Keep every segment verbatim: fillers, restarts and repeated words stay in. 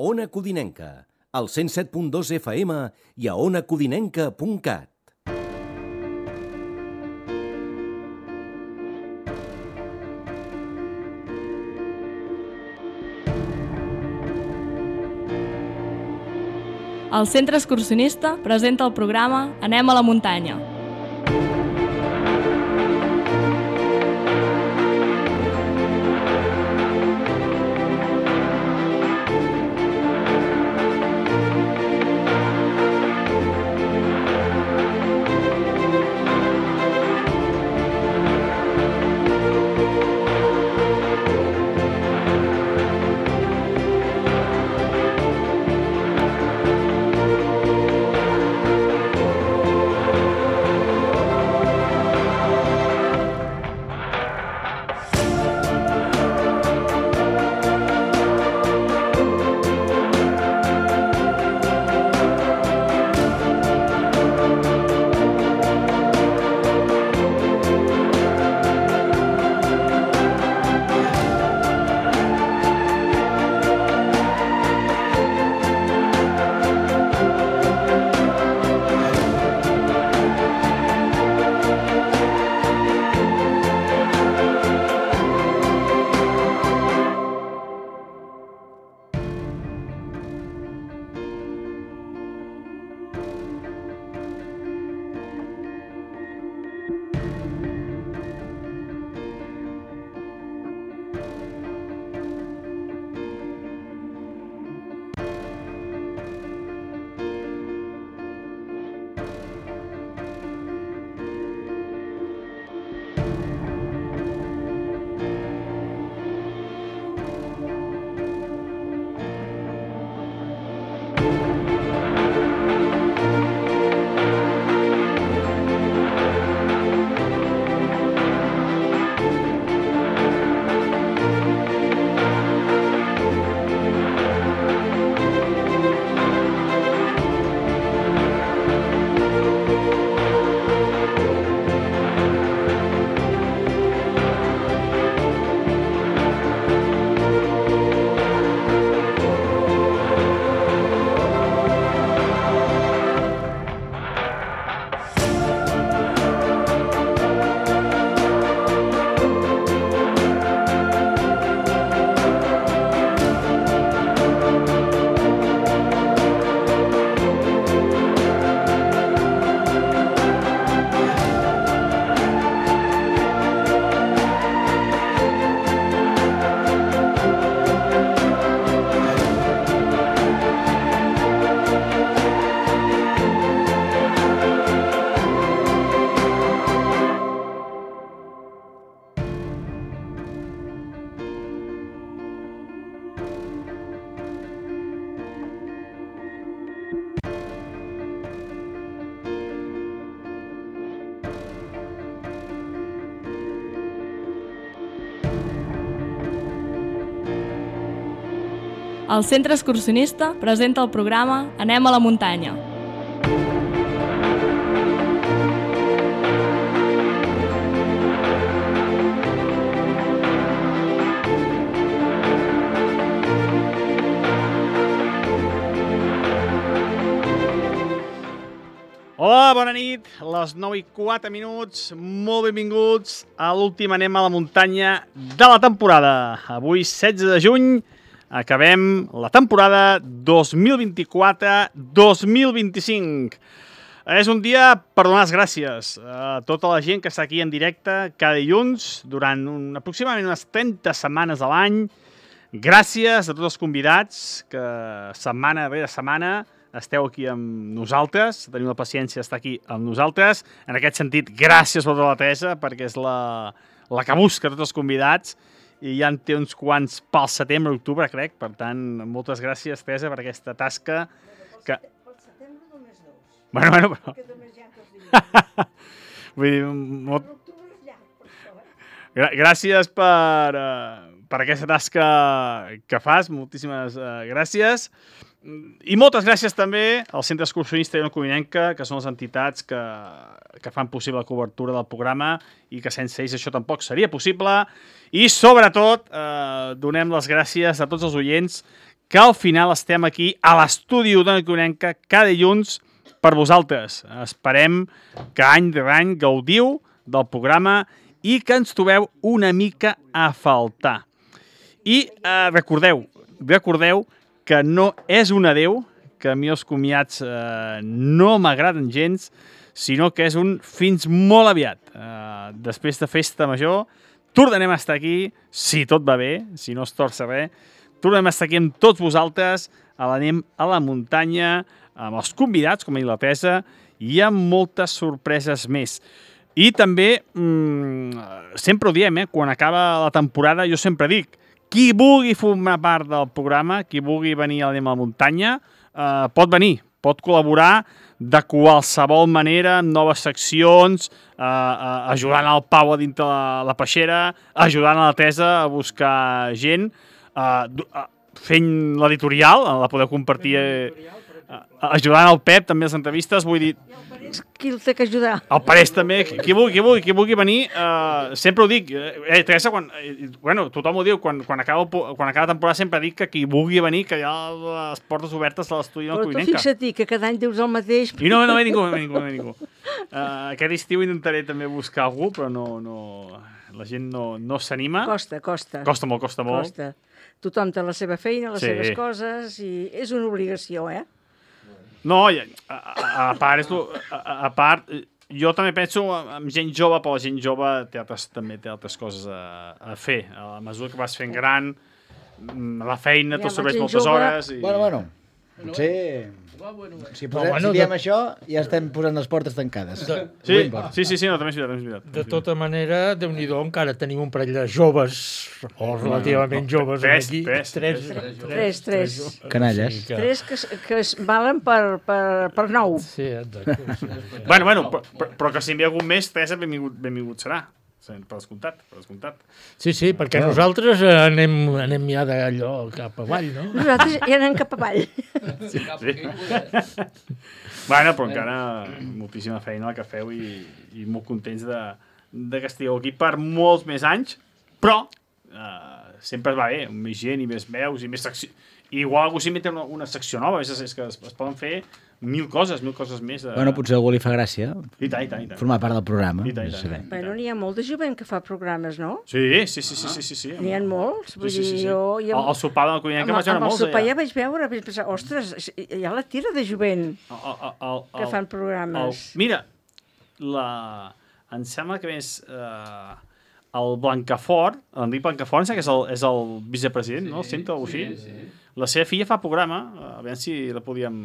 Ona Codinenca, al cent set punt dos F M i a ona codinenca punt cat. El Centre Excursionista presenta el programa Anem a la muntanya. El Centre Excursionista presenta el programa Anem a la muntanya. Hola, bona nit, les nou i quatre minuts, molt benvinguts a l'últim Anem a la muntanya de la temporada. Avui, setze de juny, acabem la temporada dos mil vint-i-quatre dos mil vint-i-cinc. És un dia per donar les gràcies a tota la gent que està aquí en directe cada dilluns durant un, aproximadament unes trenta setmanes a l'any. Gràcies a tots els convidats que setmana rere setmana esteu aquí amb nosaltres, teniu la paciència d'estar aquí amb nosaltres. En aquest sentit, gràcies a tota la Teresa, perquè és la, la que busca tots els convidats i ja en té uns quants pel setembre, octubre, crec. Per tant, moltes gràcies, Teresa, per aquesta tasca. Que... Pel setembre només dos. Bueno, bueno, però... Que només hi ha dos dies. Vull dir, molt... L'octubre és llarg, per això, eh? Gra gràcies per, uh, per aquesta tasca que fas, moltíssimes uh, gràcies. I moltes gràcies també al Centre Excursionista i Ona Codinenca, que són les entitats que, que fan possible la cobertura del programa i que sense ells això tampoc seria possible. I sobretot eh, donem les gràcies a tots els oients que al final estem aquí a l'estudi d'Ona Codinenca cada dilluns per vosaltres. Esperem que any de any gaudiu del programa i que ens trobeu una mica a faltar. I eh, recordeu, recordeu que no és un adeu, que a mi els comiats eh, no m'agraden gens, sinó que és un fins molt aviat. Eh, després de Festa Major, tornarem a estar aquí, si tot va bé, si no es torça res, tornarem a estar aquí amb tots vosaltres, a l'anem a la muntanya, amb els convidats, com a la Teresa, i amb moltes sorpreses més. I també, mmm, sempre ho diem, eh, quan acaba la temporada, jo sempre dic, qui vulgui formar part del programa, qui vulgui venir a l'anem a la muntanya, eh, pot venir, pot col·laborar de qualsevol manera, amb noves seccions, eh, eh, ajudant al Pau a dintre la, la peixera, ajudant a la Teresa a buscar gent, eh, fent l'editorial, la podeu compartir, eh, ajudant el Pep també a les entrevistes, vull dir... Qui el té que ajudar? El Parés també, qui vulgui, qui vulgui, qui vulgui venir, eh, sempre ho dic, eh, Teresa, quan, eh, bueno, tothom ho diu, quan, quan, acaba, quan acaba la temporada sempre dic que qui vulgui venir, que hi ha les portes obertes a l'estudi de la Però tu Codinenca. fixa't que cada any dius el mateix. I no, no ve ningú, no ve ningú, no ve ningú. Uh, aquest estiu intentaré també buscar algú, però no, no, la gent no, no s'anima. Costa, costa. Costa molt, costa molt. Costa. Tothom té la seva feina, les Sí. seves coses, i és una obligació, eh? No, a, a, a part, és lo, a, a part, jo també penso en gent jove, però la gent jove té altres, també té altres coses a, a fer. A la mesura que vas fent gran, la feina Ja, t'absorbeix la gent moltes jove- hores. I... Bueno, bueno. Potser... Si, posem, bueno, si diem de- això, ja estem posant les portes tancades. De, Sí, sí, sí, sí, no, també és veritat, també és veritat. de tota manera, Déu-n'hi-do, encara tenim un parell de joves, o relativament joves, tres, aquí. tres, tres, Tres, tres. Canalles. Sí, que- Tres que, es- que es valen per, per, per nou. Sí, exacte. Sí, sí. Bueno, bueno, però, però, però que si envia algun més, Teresa, benvingut, benvingut serà. Sí, per descomptat, per descomptat. Sí, sí, perquè nosaltres eh, anem, anem ja d'allò cap avall, no? Nosaltres ja anem cap avall. Sí. Bueno, però encara moltíssima feina la que feu i, i molt contents de, de que estigueu aquí per molts més anys, però eh, sempre va bé, amb més gent i més veus i més secció. I igual algú s'hi mete una, una secció nova, és, és que es, es poden fer mil coses, mil coses més. De... Bueno, potser a algú li fa gràcia I tant, i tant, i tant. formar part del programa. I tant, i no tant. sé. Bueno, n'hi ha molt de jovent que fa programes, no? Sí, sí, sí, sí, sí, sí, sí. N'hi ha molts. Vull Sí, sí, sí, sí. dir, jo... jo El, el sopar de la Codinenca amb, vaig veure amb el molts sopar ja allà. vaig veure, vaig pensar, ostres, hi ha la tira de jovent El, el, el, que el, fan programes. El, mira, la, em sembla que més eh, el Blancafort, l'Enric Blancafort, em sembla que és el, és el vicepresident, no? El centre o així. Sí, sí. La seva filla fa programa, a veure si la podíem...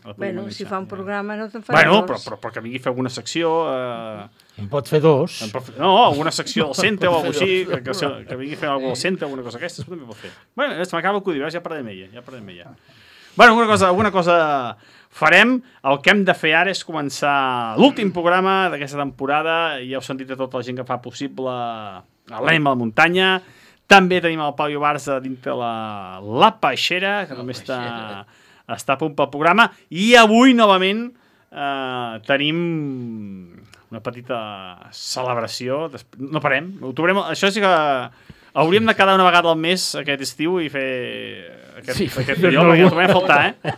La podíem Bueno, si analitzar. fa un programa no te'n farà Bueno, dos. però, però, però que vingui a fer alguna secció... Eh, En pot fer dos. en pot fer- no, alguna secció del centre o alguna cosa així, que, que, que vingui a fer alguna cosa del centre, alguna cosa d'aquestes, també pot fer. Bueno, se m'acaba el cudi, ja parlarem amb ella, ja parlarem amb ella. Bueno, alguna cosa, alguna cosa farem. El que hem de fer ara és començar l'últim programa d'aquesta temporada. Ja heu sentit a tota la gent que fa possible l'Anem a la muntanya. També tenim el Pau Barça dintre la, la Peixera, que també està, està a punt pel programa. I avui, novament, eh, tenim una petita celebració. No parem. Ho trobarem, això sí que hauríem de quedar una vegada al mes aquest estiu i fer aquest, Sí, aquest fer allò, perquè ho algun- trobarem a faltar, eh?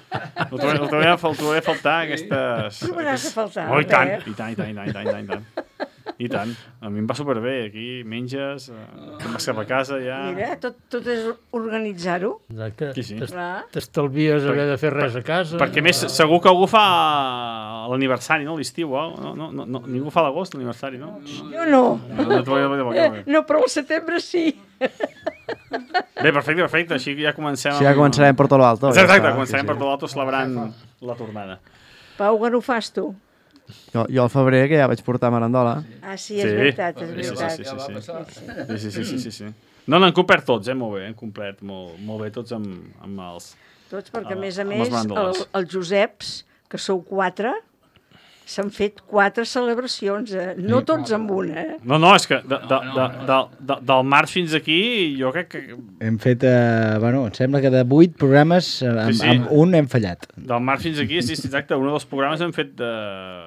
Ho trobarem, ho trobarem, a fal- ho trobarem a faltar, aquestes... Trobaràs a faltar, Oh, i tant, eh? i tant, i tant, i tant, i tant, i tant, i tant. I tant. A mi em va superbé, aquí menges, eh, te'n vas cap a casa ja... Mira, tot, tot és organitzar-ho. Exacte. Sí, sí. T'es- Clar. T'estalvies haver de fer res a casa. Perquè a més, segur que algú fa l'aniversari, no? L'estiu, oh? no, no, no, no, ningú fa l'agost, l'aniversari, no? Jo no. No, no, no, no, no, no. No, però al setembre sí. Bé, perfecte, perfecte, així ja comencem... Sí, ja començarem per tot l'alto. Exacte, ja exacte, està, començarem sí, per tot l'alto celebrant la tornada. Pau, quan ho fas tu? sí. Jo, jo al febrer, que ja vaig portar merandola. Ah, sí, és veritat, és Sí, sí, veritat. sí, sí, sí. Sí, sí, sí, sí, sí. No, n'han complert tots, eh? Molt bé, han complert molt, molt bé tots amb, amb els... Tots, perquè a més a Amb les més, el, bandoles. els Joseps, que sou quatre, s'han fet quatre celebracions, eh? no tots amb una. Eh? No, no, és que de, de, de, de, de, del març fins aquí jo crec que Hem fet, eh, bueno, em sembla que de vuit programes, eh, amb, Sí, sí. amb un hem fallat. del març fins aquí, sí, sí, exacte, un dels programes hem fet, de,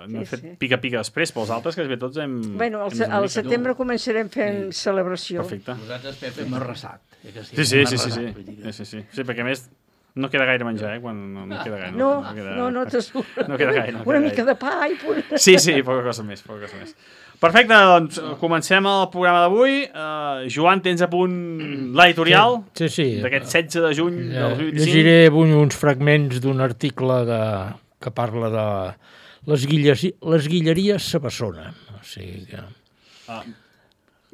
no hem Sí, fet sí. pica-pica després, però els altres que bé tots hem... Bueno, al, hem se- al desenvolupat. setembre començarem fent celebració. Perfecte. Nosaltres, Pepe, hem arrasat. Eh que Sí, sí, sí, sí, sí, Vull dir sí, que- sí, sí. Sí, perquè a més no queda gaire menjar, eh, quan no, no queda gaire. No, queda, no, no t'assures. no queda gaire. No queda Una gaire. mica de pa i punt. Sí, sí, poca cosa més, poca cosa més. Perfecte, doncs comencem el programa d'avui. Uh, Joan, tens a punt l'editorial Sí, sí. d'aquest setze de juny Eh, del dos mil vint-i-cinc. Llegiré avui uns fragments d'un article de, que parla de les, guilles, les guilleries Sabassona. O sigui que... Ah,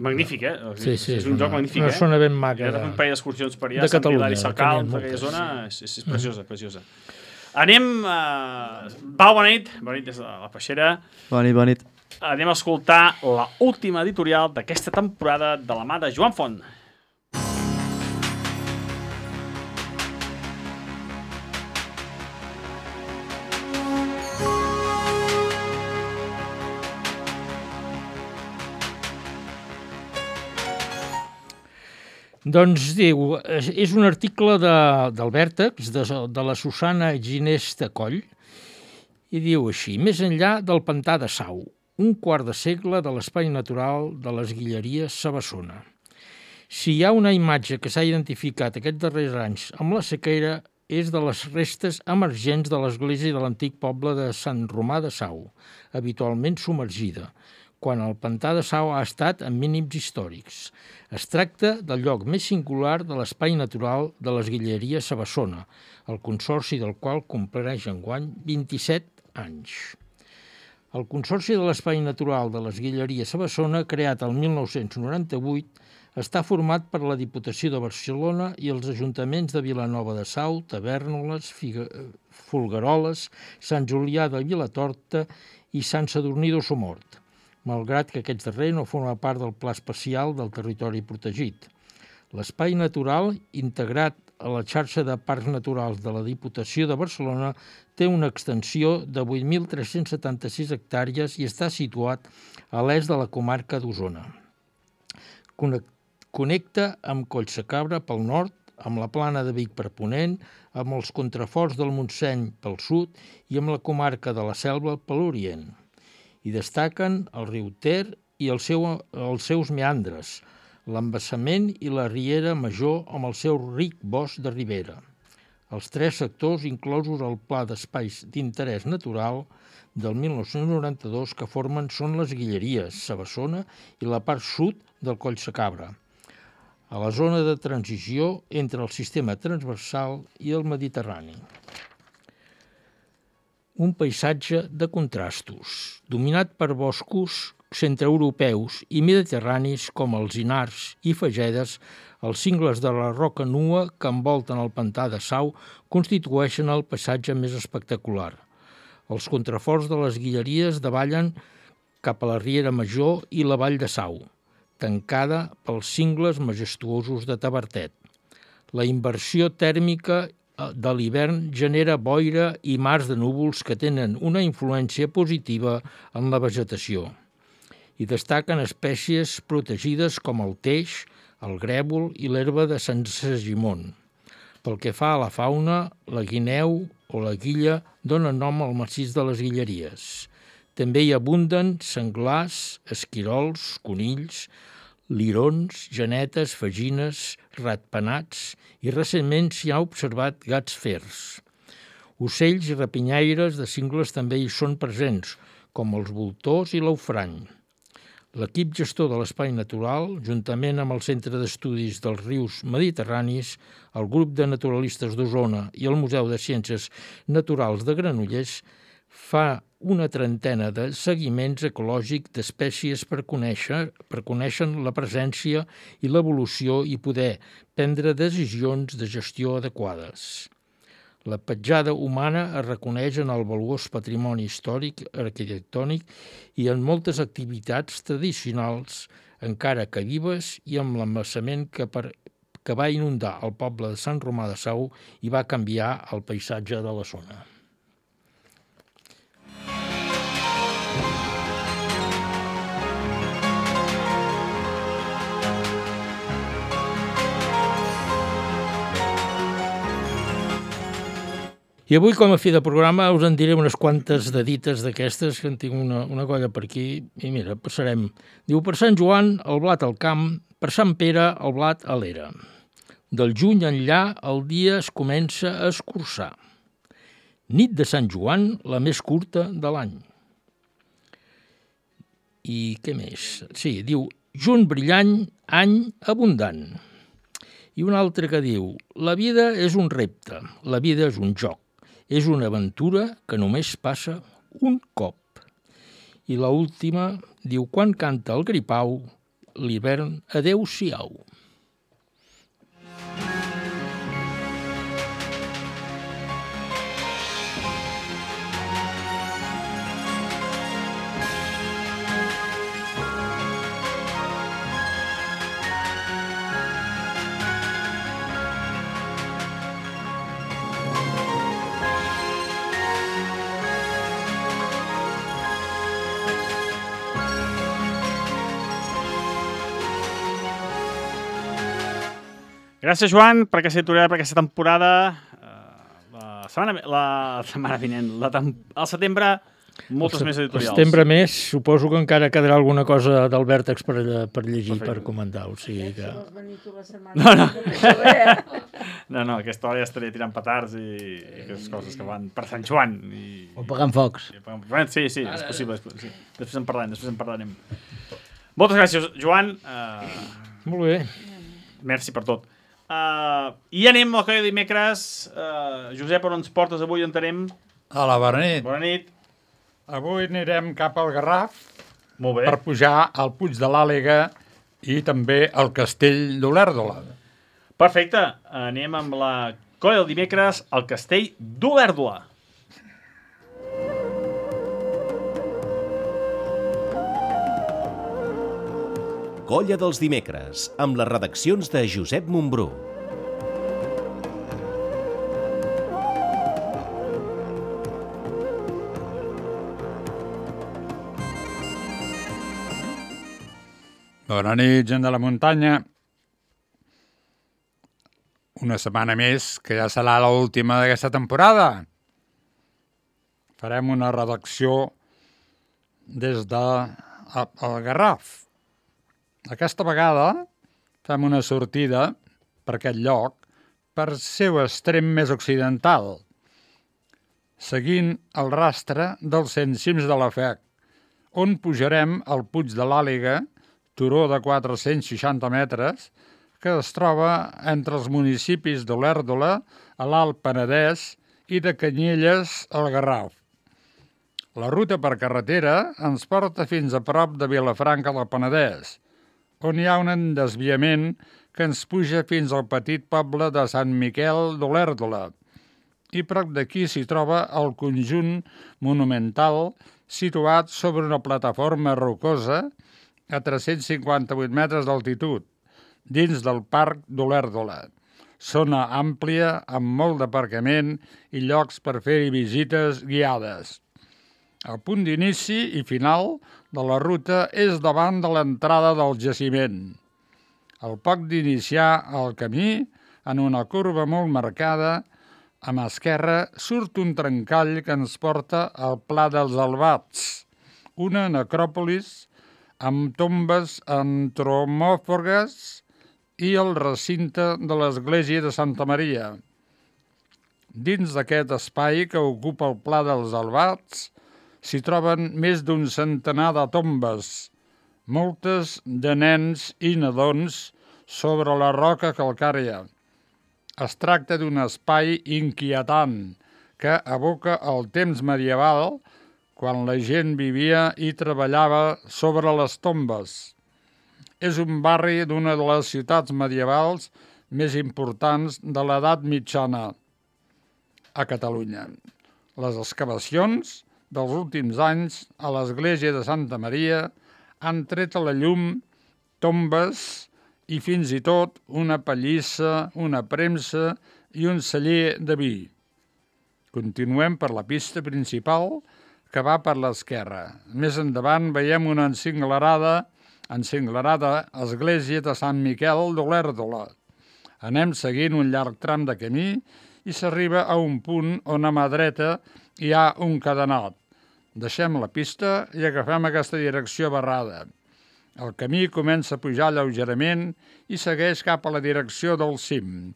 magnífic, eh? Sí, sí, és un joc magnífic, una eh? zona ben maca. He de- fet un parell d'excursions per allà, de Sant Catalunya, Hilari que Sacalm, n'hi ha d'aquella moltes. zona, és, és, és preciosa, preciosa. Anem, uh, Pau, bona nit, bona nit des de la Peixera. Bona nit, bona nit. Anem a escoltar la última editorial d'aquesta temporada de la mà de Joan Font. Doncs diu, és és un article de, del Vèrtex, de, de la Susana Ginés de Coll, i diu així: més enllà del pantà de Sau, un quart de segle de l'espai natural de les Guilleries Sabassona. Si hi ha una imatge que s'ha identificat aquests darrers anys amb la sequera, és de les restes emergents de l'església de l'antic poble de Sant Romà de Sau, habitualment submergida, quan el pantà de Sau ha estat en mínims històrics. Es tracta del lloc més singular de l'espai natural de les Guilleries Sabassona, el consorci del qual compleix enguany vint-i-set anys. El Consorci de l'Espai Natural de les Guilleries Sabassona, creat el mil nou-cents noranta-vuit, està format per la Diputació de Barcelona i els ajuntaments de Vilanova de Sau, Tavèrnoles, Figa... Folgueroles, Sant Julià de Vilatorta i Sant Sadurní d'Ossomort, malgrat que aquest darrer no forma part del Pla Especial del Territori Protegit. L'espai natural, integrat a la xarxa de parcs naturals de la Diputació de Barcelona, té una extensió de vuit mil tres-cents setanta-sis hectàrees i està situat a l'est de la comarca d'Osona. Connecta amb Collsacabra pel nord, amb la Plana de Vic per ponent, amb els contraforts del Montseny pel sud i amb la comarca de la Selva per l'orient. Hi destaquen el riu Ter i el seu, els seus meandres, l'embassament i la riera major amb el seu ric bosc de ribera. Els tres sectors inclosos al Pla d'Espais d'Interès Natural del mil nou-cents noranta-dos que formen són les Guilleries, Sabassona i la part sud del Collsacabra, a la zona de transició entre el sistema transversal i el Mediterrani. Un paisatge de contrastos, dominat per boscos centreeuropeus i mediterranis com els Inars i Fagedes, els cingles de la roca nua que envolten el pantà de Sau constitueixen el paisatge més espectacular. Els contraforts de les Guilleries davallen cap a la Riera Major i la Vall de Sau, tancada pels cingles majestuosos de Tavertet. La inversió tèrmica de l'hivern genera boira i mars de núvols que tenen una influència positiva en la vegetació. Hi destaquen espècies protegides com el teix, el grèvol i l'herba de Sant Segimon. Pel que fa a la fauna, la guineu o la guilla donen nom al massís de les Guilleries. També hi abunden senglars, esquirols, conills, lirons, genetes, fagines, ratpenats i recentment s'hi ha observat gats fers. Ocells i rapinyaires de cingles també hi són presents, com els voltors i l'aufrany. L'equip gestor de l'Espai Natural, juntament amb el Centre d'Estudis dels Rius Mediterranis, el Grup de Naturalistes d'Osona i el Museu de Ciències Naturals de Granollers, fa una trentena de seguiments ecològics d'espècies per conèixer, per conèixer la presència i l'evolució i poder prendre decisions de gestió adequades. La petjada humana es reconeix en el valuós patrimoni històric, arquitectònic i en moltes activitats tradicionals, encara que vives, i amb l'embassament que, per, que va inundar el poble de Sant Romà de Sau i va canviar el paisatge de la zona. I avui, com a fi de programa, us en diré unes quantes dedites d'aquestes, que en tinc una, una colla per aquí, i mira, passarem. Diu, per Sant Joan, el blat al camp, per Sant Pere, el blat a l'era. Del juny enllà, el dia es comença a escurçar. Nit de Sant Joan, la més curta de l'any. I què més? Sí, diu, juny brillant, any abundant. I un altre que diu, la vida és un repte, la vida és un joc. És una aventura que només passa un cop. I l'última diu, quan canta el gripau, l'hivern adeu-siau. Gràcies, Joan, per aquesta editorial, per aquesta temporada. Uh, la setmana, la setmana vinent, la tem al setembre, moltes el més editorials. El setembre més, suposo que encara quedarà alguna cosa del Vèrtex per, per llegir, Perfecte. per comentar. O sigui que... No, no. no, no, aquesta hora ja estaria tirant petards i, i aquestes coses que van per Sant Joan. I, O pagant focs. i, sí, sí, és possible. Sí. Després en parlarem, després en parlarem. Moltes gràcies, Joan. Uh, Molt bé. merci per tot. Uh, I anem al que dimecres. Uh, Josep, on ens portes avui? On anem? A la bona nit. Bona nit. Avui anirem cap al Garraf Molt bé. per pujar al Puig de l'Àliga i també al Castell d'Olèrdola. Perfecte. Anem amb la colla del dimecres al Castell d'Olèrdola. Colla dels dimecres, amb les redaccions de Josep Montbrú. Bona nit, gent de la muntanya. Una setmana més, que ja serà l'última d'aquesta temporada. Farem una redacció des de el Garraf. Aquesta vegada fem una sortida per aquest lloc, per seu extrem més occidental, seguint el rastre dels cent cims de la Fec, on pujarem al Puig de l'Àliga, turó de quatre-cents seixanta metres, que es troba entre els municipis d'Olèrdola, a l'Alt Penedès, i de Canyelles, al Garraf. La ruta per carretera ens porta fins a prop de Vilafranca del Penedès, on hi ha un desviament que ens puja fins al petit poble de Sant Miquel d'Olèrdola. I prop d'aquí s'hi troba el conjunt monumental situat sobre una plataforma rocosa a tres-cents cinquanta-vuit metres d'altitud, dins del Parc d'Olèrdola. Zona àmplia, amb molt d'aparcament i llocs per fer-hi visites guiades. El punt d'inici i final de la ruta és davant de l'entrada del jaciment. Al poc d'iniciar el camí, en una curva molt marcada, a mà esquerra surt un trencall que ens porta al Pla dels Albats, una necròpolis amb tombes antropomòrfiques i el recinte de l'església de Santa Maria. Dins d'aquest espai que ocupa el Pla dels Albats s'hi troben més d'un centenar de tombes, moltes de nens i nadons sobre la roca calcària. Es tracta d'un espai inquietant que evoca el temps medieval, quan la gent vivia i treballava sobre les tombes. És un barri d'una de les ciutats medievals més importants de l'edat mitjana a Catalunya. Les excavacions dels últims anys a l'església de Santa Maria han tret a la llum tombes i fins i tot una pallissa, una premsa i un celler de vi. Continuem per la pista principal que va per l'esquerra. Més endavant veiem una encinglerada, encinglerada església de Sant Miquel d'Olèrdola. Anem seguint un llarg tram de camí i s'arriba a un punt on a mà dreta hi ha un cadenat. Deixem la pista i agafem aquesta direcció barrada. El camí comença a pujar lleugerament i segueix cap a la direcció del cim.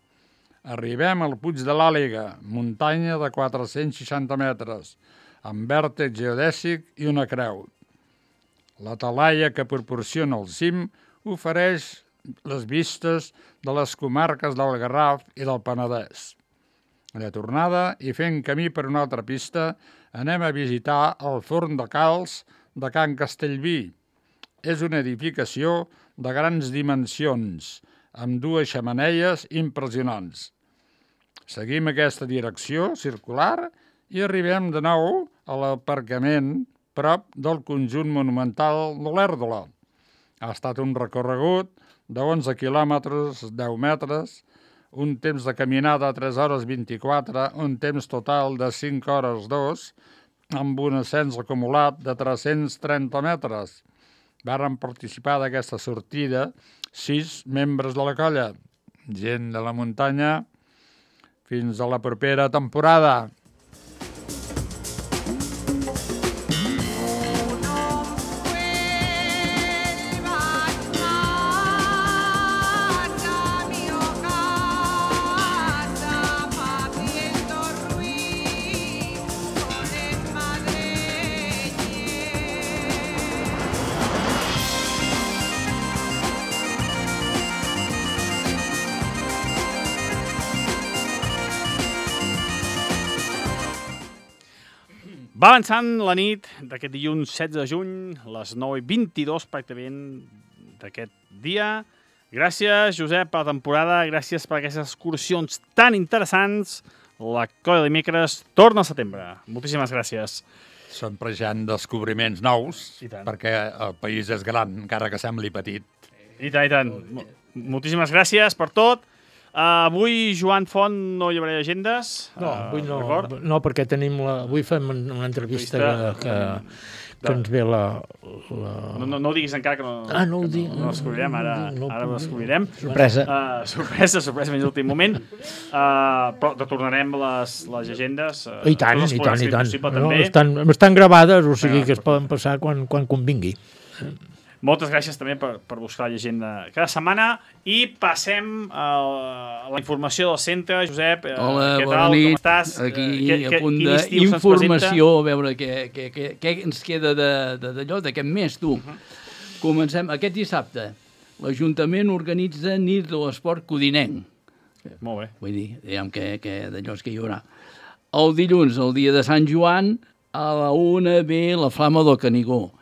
Arribem al Puig de l'Àliga, muntanya de quatre-cents seixanta metres, amb vèrtex geodèsic i una creu. La talaia que proporciona el cim ofereix les vistes de les comarques del Garraf i del Penedès. De tornada i fent camí per una altra pista, anem a visitar el Forn de Calç de Can Castellví. És una edificació de grans dimensions, amb dues xemeneies impressionants. Seguim aquesta direcció circular i arribem de nou a l'aparcament prop del conjunt monumental de l'Èrdola. Ha estat un recorregut d'onze quilòmetres, deu metres, un temps de caminada de tres hores vint-i-quatre, un temps total de cinc hores dos, amb un ascens acumulat de tres-cents trenta metres. Varen participar d'aquesta sortida sis membres de la colla, gent de la muntanya. Fins a la propera temporada. Va avançant la nit d'aquest dilluns setze de juny, les nou i vint-i-dos pràcticament d'aquest dia. Gràcies, Josep, per la temporada, gràcies per aquestes excursions tan interessants. La colla de dimecres torna al setembre. Moltíssimes gràcies. Sempre hi ha descobriments nous, perquè el país és gran, encara que sembli petit. I tant, i tant. Moltíssimes gràcies per tot. Uh, avui, Joan Font, no hi haurà agendes. No, avui no, uh, no perquè tenim la, avui fem una entrevista que, que, que ens ve la... la... No, no, no ho diguis encara, que no, ah, no ho dic, no, no descobrirem, ara, no, ara ho descobrirem. Sorpresa. Uh, sorpresa, sorpresa, fins l'últim moment. Uh, però retornarem les, les agendes. Uh, I tant, i tant, i tant. Possible, no, també. estan, estan gravades, o sigui que es poden passar quan, quan convingui. Moltes gràcies també per, per buscar la llegenda cada setmana i passem a la informació del centre. Josep, hola, què bona tal? nit. Com estàs? Aquí que, a punt d'informació, a veure què, què, què, què ens queda d'allò, d'aquest mes, tu. Uh -huh. Comencem aquest dissabte. L'Ajuntament organitza nit de l'esport codinenc. Molt bé. Vull dir, diguem que, que d'allò que hi haurà. El dilluns, el dia de Sant Joan, a la una ve la Flama del Canigó.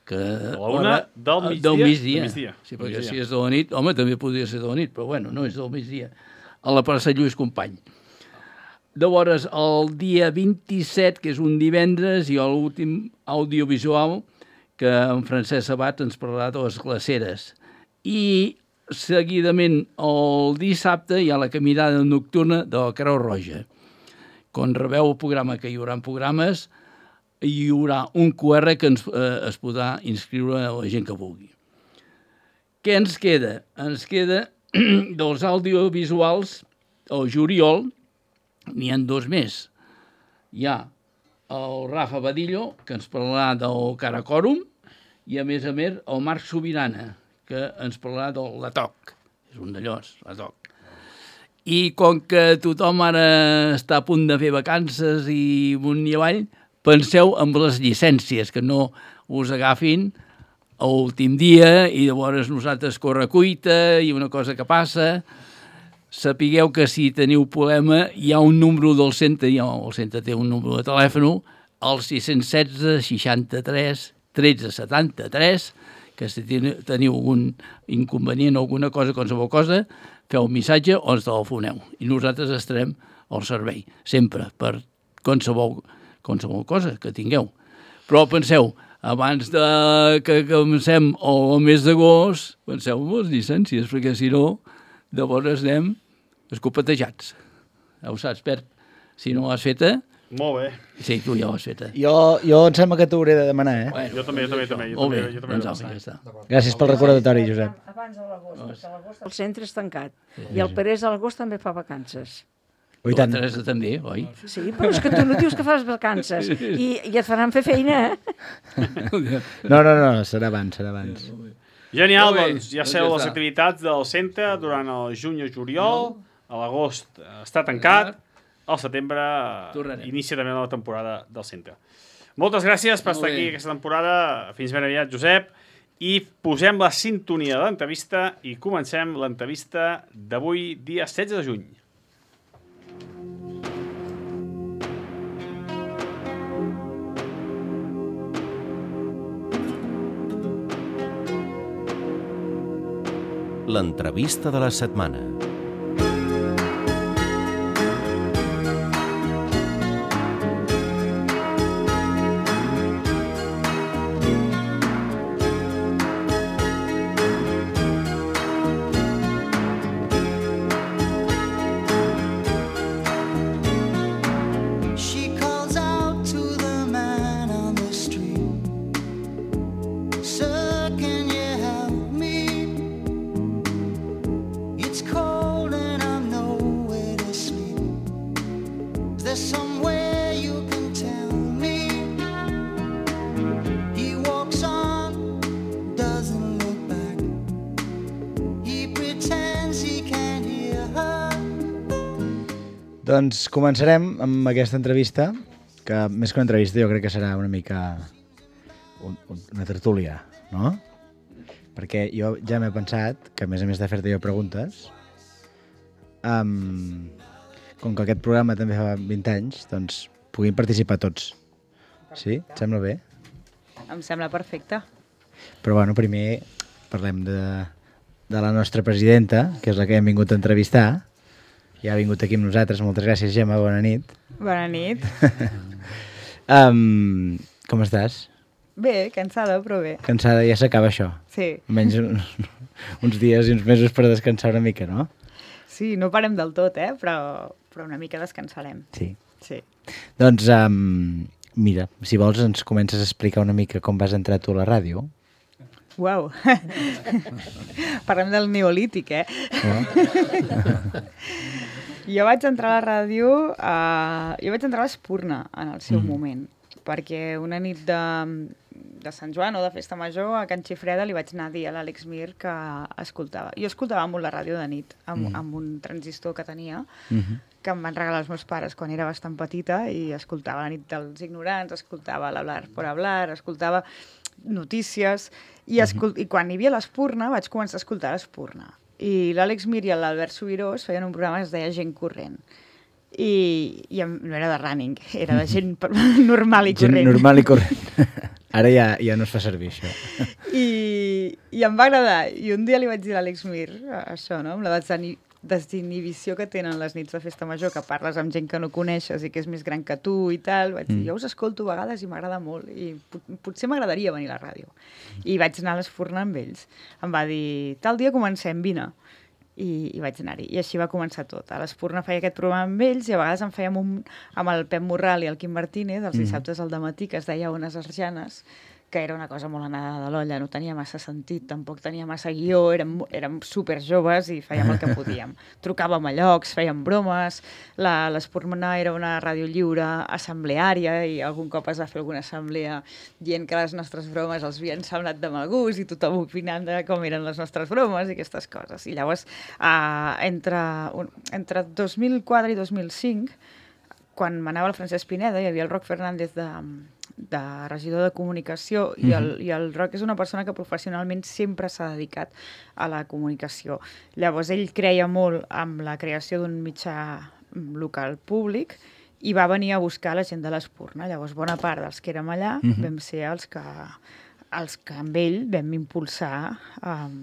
Que a la una del migdia? Del migdia. Del migdia. Sí, perquè si és de la nit, home, també podria ser de la nit, però bueno, no és del migdia. A la plaça Lluís Company. Llavors, el dia vint-i-set, que és un divendres, hi ha l'últim audiovisual que en Francesc Sabat ens parlarà de les glaceres. I seguidament, el dissabte, hi ha la caminada nocturna de la Creu Roja. Quan rebeu el programa, que hi haurà programes, hi haurà un Q R que ens, eh, es podrà inscriure a la gent que vulgui. Què ens queda? Ens queda dels audiovisuals, el juliol, n'hi ha dos més. Hi ha el Rafa Badillo, que ens parlarà del Caracòrum, i a més a més el Marc Sobirana, que ens parlarà del Latoc. És un d'allòs, Latoc. I com que tothom ara està a punt de fer vacances i amunt i avall, penseu en les llicències, que no us agafin a l'últim dia i llavors nosaltres corre-cuita i una cosa que passa. Sapigueu que si teniu problema hi ha un número del centre, ja el centre té un número de telèfon, el sis cents i setze seixanta-tres tretze setanta-tres, que si teniu algun inconvenient o alguna cosa, qualsevol cosa, feu un missatge o ens telefoneu. I nosaltres estarem al servei, sempre, per qualsevol qualsevol cosa que tingueu. Però penseu, abans de que comencem el mes d'agost, penseu en les llicències, perquè si no, llavors anem escopetejats. Ja ho saps, Pert. Si no l'has feta... Molt bé. Sí, tu ja l'has feta. Jo, jo em sembla que t'hauré de demanar, eh? Bueno, jo també, jo també, jo també. Jo molt bé, també, jo també, doncs jo apa, també. ja està. Gràcies pel recordatori, Josep. Abans de l'agost, perquè a l'agost el centre és tancat. I el Perès a l'agost també fa vacances. Oi, La tant. Teresa també, oi? Sí, però és que tu no dius que fas vacances i, i et faran fer feina, eh? No, no, no, serà abans, serà abans. Genial, Molt bé, doncs ja doncs sabeu ja les està. activitats del centre durant el juny i juliol, a l'agost eh, està tancat, al setembre eh, Tornarem. inicia també la temporada del centre. Moltes gràcies per Molt estar bé. aquí aquesta temporada, fins ben aviat, Josep, i posem la sintonia de l'entrevista i comencem l'entrevista d'avui, dia setze de juny. L'entrevista de la setmana. She calls out to the man on the street. Sir, can you help me? It's cold and I'm nowhere to sleep. Is there somewhere you can tell me? He walks on, doesn't look back. He pretends he can't hear her. Doncs començarem amb aquesta entrevista, que més que una entrevista jo crec que serà una mica un, un, una tertúlia, no? Perquè jo ja m'he pensat que, a més a més de fer-te jo preguntes, um, com que aquest programa també fa vint anys, doncs puguin participar tots. Sí? Et sembla bé? Em sembla perfecte. Però bueno, primer parlem de, de la nostra presidenta, que és la que hem vingut a entrevistar. Ja ha vingut aquí amb nosaltres. Moltes gràcies, Gemma. Bona nit. Bona nit. um, com estàs? Bé, cansada, però bé. Cansada? Ja s'acaba això? Sí. Menys un, uns dies i uns mesos per descansar una mica, no? Sí, no parem del tot, eh? Però, però una mica descansarem. Sí. Sí. Doncs, um, mira, si vols ens comences a explicar una mica com vas entrar tu a la ràdio. Uau. Parlem del neolític, eh? Oh. Jo vaig entrar a la ràdio, uh, jo vaig entrar a l'Espurna en el seu mm. moment, perquè una nit de, de Sant Joan o de Festa Major a Can Xifreda li vaig anar a dir a l'Àlex Mir que escoltava. Jo escoltava molt la ràdio de nit, amb, mm. amb un transistor que tenia, mm-hmm. que em van regalar els meus pares quan era bastant petita, i escoltava la nit dels ignorants, escoltava l'Hablar por Hablar, escoltava notícies, i, escol mm-hmm. i quan hi havia l'Espurna vaig començar a escoltar l'Espurna. I l'Àlex Mir i l'Albert Subirós feien un programa que es deia Gent Corrent. I, i no era de running, era de gent normal i corrent. Gent normal i corrent. Ara ja, ja no es fa servir, això. I, I em va agradar. I un dia li vaig dir a l'Àlex Mir, això, no?, amb la desinhibició que tenen les nits de Festa Major, que parles amb gent que no coneixes i que és més gran que tu i tal, vaig dir, mm. jo us escolto a vegades i m'agrada molt, i pot potser m'agradaria venir a la ràdio. I vaig anar a l'Espurna amb ells. Em va dir, tal dia comencem, vine. I, i vaig anar-hi. I així va començar tot. A l'Espurna feia aquest programa amb ells i a vegades en fèiem un amb el Pep Morral i el Quim Martínez, els dissabtes al dematí, que es deia Ones Arjanes, que era una cosa molt anada de l'olla, no tenia massa sentit, tampoc tenia massa guió, érem, érem superjoves i fèiem el que podíem. Trucàvem a llocs, fèiem bromes, l'Espurna era una ràdio lliure, assembleària, i algun cop es va fer alguna assemblea dient que les nostres bromes els havien semblat de mal gust i tothom opinant de com eren les nostres bromes i aquestes coses. I llavors, uh, entre, un, entre dos mil quatre i dos mil cinc, quan m'anava el Francesc Pineda, hi havia el Roc Fernández de... de regidor de comunicació, i el, i el Roc és una persona que professionalment sempre s'ha dedicat a la comunicació. Llavors ell creia molt amb la creació d'un mitjà local públic i va venir a buscar la gent de l'Espurna. Llavors bona part dels que érem allà uh-huh. vam ser els que, els que amb ell vam impulsar um,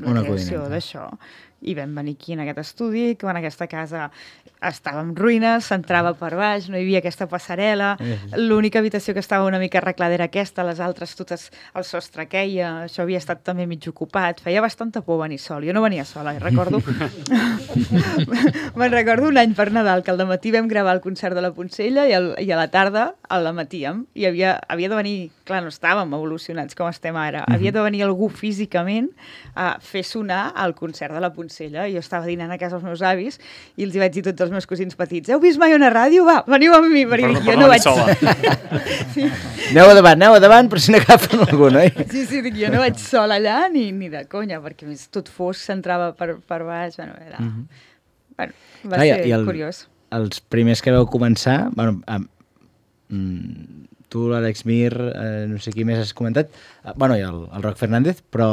la una creació d'això. I vam venir aquí en aquest estudi, que en aquesta casa estava en ruïnes, s'entrava per baix, no hi havia aquesta passarel·la, l'única habitació que estava una mica arreglada era aquesta, les altres totes el sostre queia, això havia estat també mig ocupat, feia bastanta por venir sol, jo no venia sola, i recordo me'n recordo un any per Nadal, que al dematí vam gravar el concert de la Poncella i, el, i a la tarda al dematíem, i havia, havia de venir, clar, no estàvem evolucionats com estem ara, havia de venir algú físicament a fer sonar el concert de la Poncella Poncella, i jo estava dinant a casa els meus avis i els hi vaig dir a tots els meus cosins petits: heu vist mai una ràdio? Va, veniu amb mi, perquè Per- jo per no no vaig... sola. sí. Aneu a davant, aneu a davant, per si n'agafen algun, oi? sí, sí, dic, jo no vaig sola allà ni, ni de conya, perquè a més tot fos s'entrava per, per baix, bueno, era... Mhm. bueno, va Clar, i- ser i el- curiós. Els primers que vau començar, bueno, amb, mm, tu, l'Àlex Mir, eh, no sé qui més has comentat, eh, bueno, i el, el Roc Fernández, però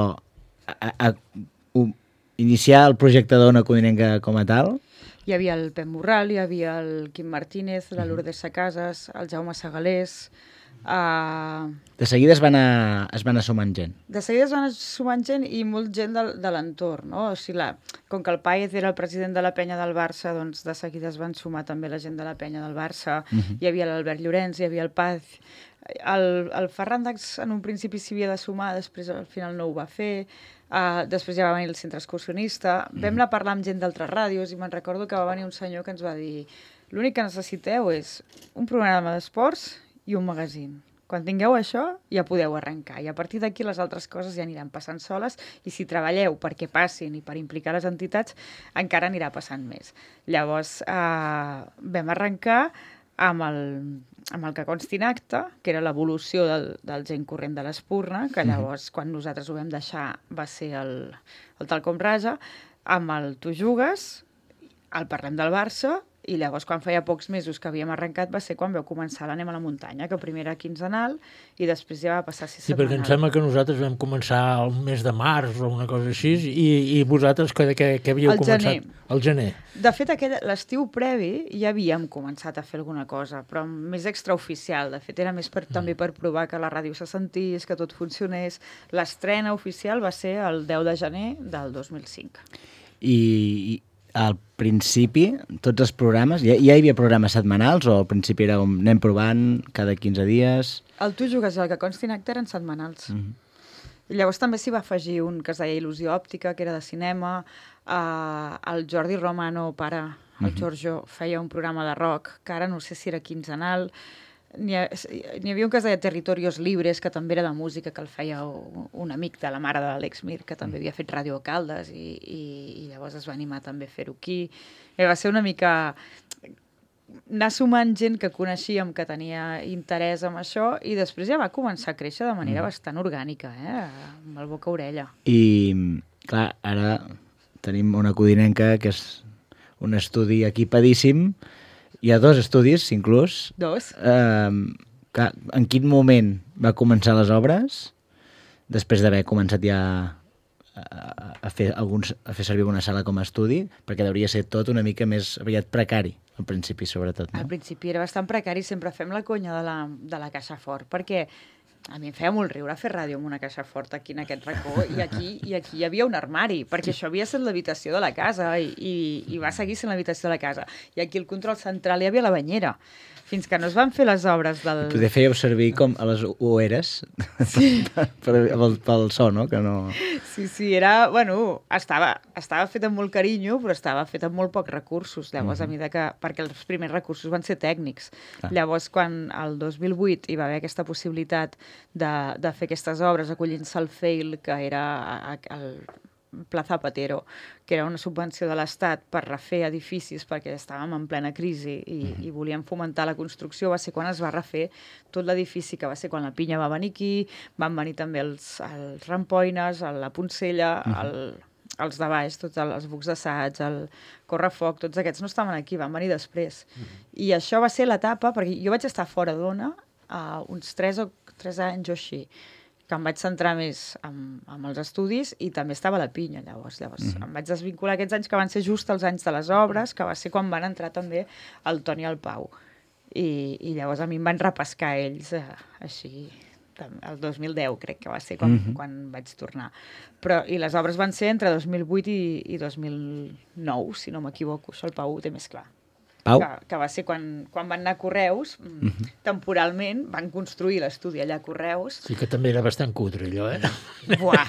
a, a, a, u- iniciar el projecte d'Ona Codinenca com a tal, Hi havia el Pep Morral, hi havia el Quim Martínez, la Lourdes Sacases, el Jaume Segalés... Uh, de seguida es van, a, es van a sumant gent. de seguida es van sumant gent i molt gent de, de l'entorn, no? O sigui, la, com que el Páez era el president de la penya del Barça, doncs de seguida es van sumar també la gent de la penya del Barça. Mhm. Hi havia l'Albert Llorenç, hi havia el Paz. El, el Ferran Dax en un principi s'hi havia de sumar, després al final no ho va fer. Uh, després ja va venir el centre excursionista. Vam anar a parlar amb gent d'altres ràdios i me'n recordo que va venir un senyor que ens va dir: l'únic que necessiteu és un programa d'esports i un magazín. Quan tingueu això, ja podeu arrencar. I a partir d'aquí les altres coses ja aniran passant soles i si treballeu perquè passin i per implicar les entitats, encara anirà passant més. Llavors, eh, vam arrencar amb el, amb el que consti en acte, que era l'evolució del, del gent corrent de l'Espurna, que llavors, quan nosaltres ho vam deixar, va ser el, el Tal Com Raja, amb el Tu Jugues, el Parlem del Barça, i llavors, quan feia pocs mesos que havíem arrencat, va ser quan vau començar l'Anem a la muntanya, que primer era quinzenal i després ja va passar a ser Sí, perquè em setmanal. sembla que nosaltres vam començar el mes de març o una cosa així, i, i vosaltres que, que, que havíeu Al començat? gener. Al gener. De fet, aquell, l'estiu previ ja havíem començat a fer alguna cosa, però més extraoficial. De fet, era més per, també per provar que la ràdio se sentís, que tot funcionés. L'estrena oficial va ser el deu de gener del dos mil cinc. I, i al principi, tots els programes, ja, ja hi havia programes setmanals o al principi era com anem provant cada quinze dies? El Tu Jugues i el que consti en acte eren setmanals. Mhm. I llavors també s'hi va afegir un que es deia Il·lusió òptica, que era de cinema. Uh, el Jordi Romano, pare, el Mhm. Giorgio, feia un programa de rock, que ara no sé si era quinzenal. N'hi ha, n'hi havia un que es deia Territorios Libres, que també era de música, que el feia un, un amic de la mare de l'Àlex Mir, que també havia fet Ràdio a Caldes, i, i, i llavors es va animar també a fer-ho aquí. I va ser una mica anar sumant gent que coneixíem, que tenia interès en això, i després ja va començar a créixer de manera Mm. bastant orgànica, eh? Amb el boca-orella. I, clar, ara tenim una codinenca que és un estudi equipadíssim. Hi ha dos estudis, inclús. Dos. Eh, clar, en quin moment va començar les obres? Després d'haver començat ja a, a, fer alguns, a fer servir una sala com a estudi, perquè hauria ser tot una mica més aviat precari, al principi, sobretot. No? Al principi era bastant precari, sempre fem la conya de la, de la caixa fort, perquè a mi em feia molt riure fer ràdio amb una caixa forta aquí en aquest racó, i aquí, i aquí hi havia un armari, perquè això havia estat l'habitació de la casa, i, i, i va seguir sent l'habitació de la casa. I aquí al control central hi havia la banyera, fins que no es van fer les obres del... Poder fèieu servir com a les ueres sí. per, per, pel, pel so, no? Que no... Sí, sí, era... Bueno, estava, estava fet amb molt carinyo, però estava fet amb molt pocs recursos. Llavors, mm-hmm. a mesura que... Perquè els primers recursos van ser tècnics. Ah. Llavors, quan el dos mil vuit hi va haver aquesta possibilitat de, de fer aquestes obres, acollint-se al FAIL, que era el Plaza Patero, que era una subvenció de l'Estat per refer edificis perquè estàvem en plena crisi i, mm-hmm. i volíem fomentar la construcció, va ser quan es va refer tot l'edifici, que va ser quan la Pinya va venir aquí, van venir també els, els Rampoines, la Poncella, mm-hmm. el, els de baix, tots els bucs d'assaig, el Correfoc, tots aquests no estaven aquí, van venir després. Mm-hmm. I això va ser l'etapa, perquè jo vaig estar fora d'Ona uh, uns tres o tres anys o així, que em vaig centrar més en, en els estudis i també estava a la Pinya, llavors. Llavors mm-hmm. em vaig desvincular aquests anys que van ser just els anys de les obres, que va ser quan van entrar també el Toni i el Pau. I, i llavors a mi em van repescar ells eh, així, el dos mil deu crec que va ser quan, mm-hmm. quan vaig tornar. Però, i les obres van ser entre dos mil vuit i, i dos mil nou, si no m'equivoco, això el Pau ho té més clar. Pau? Que, que va ser quan, quan van anar a Correus, mm-hmm. temporalment van construir l'estudi allà a Correus. Sí que també era bastant cutre, allò, eh? Buah!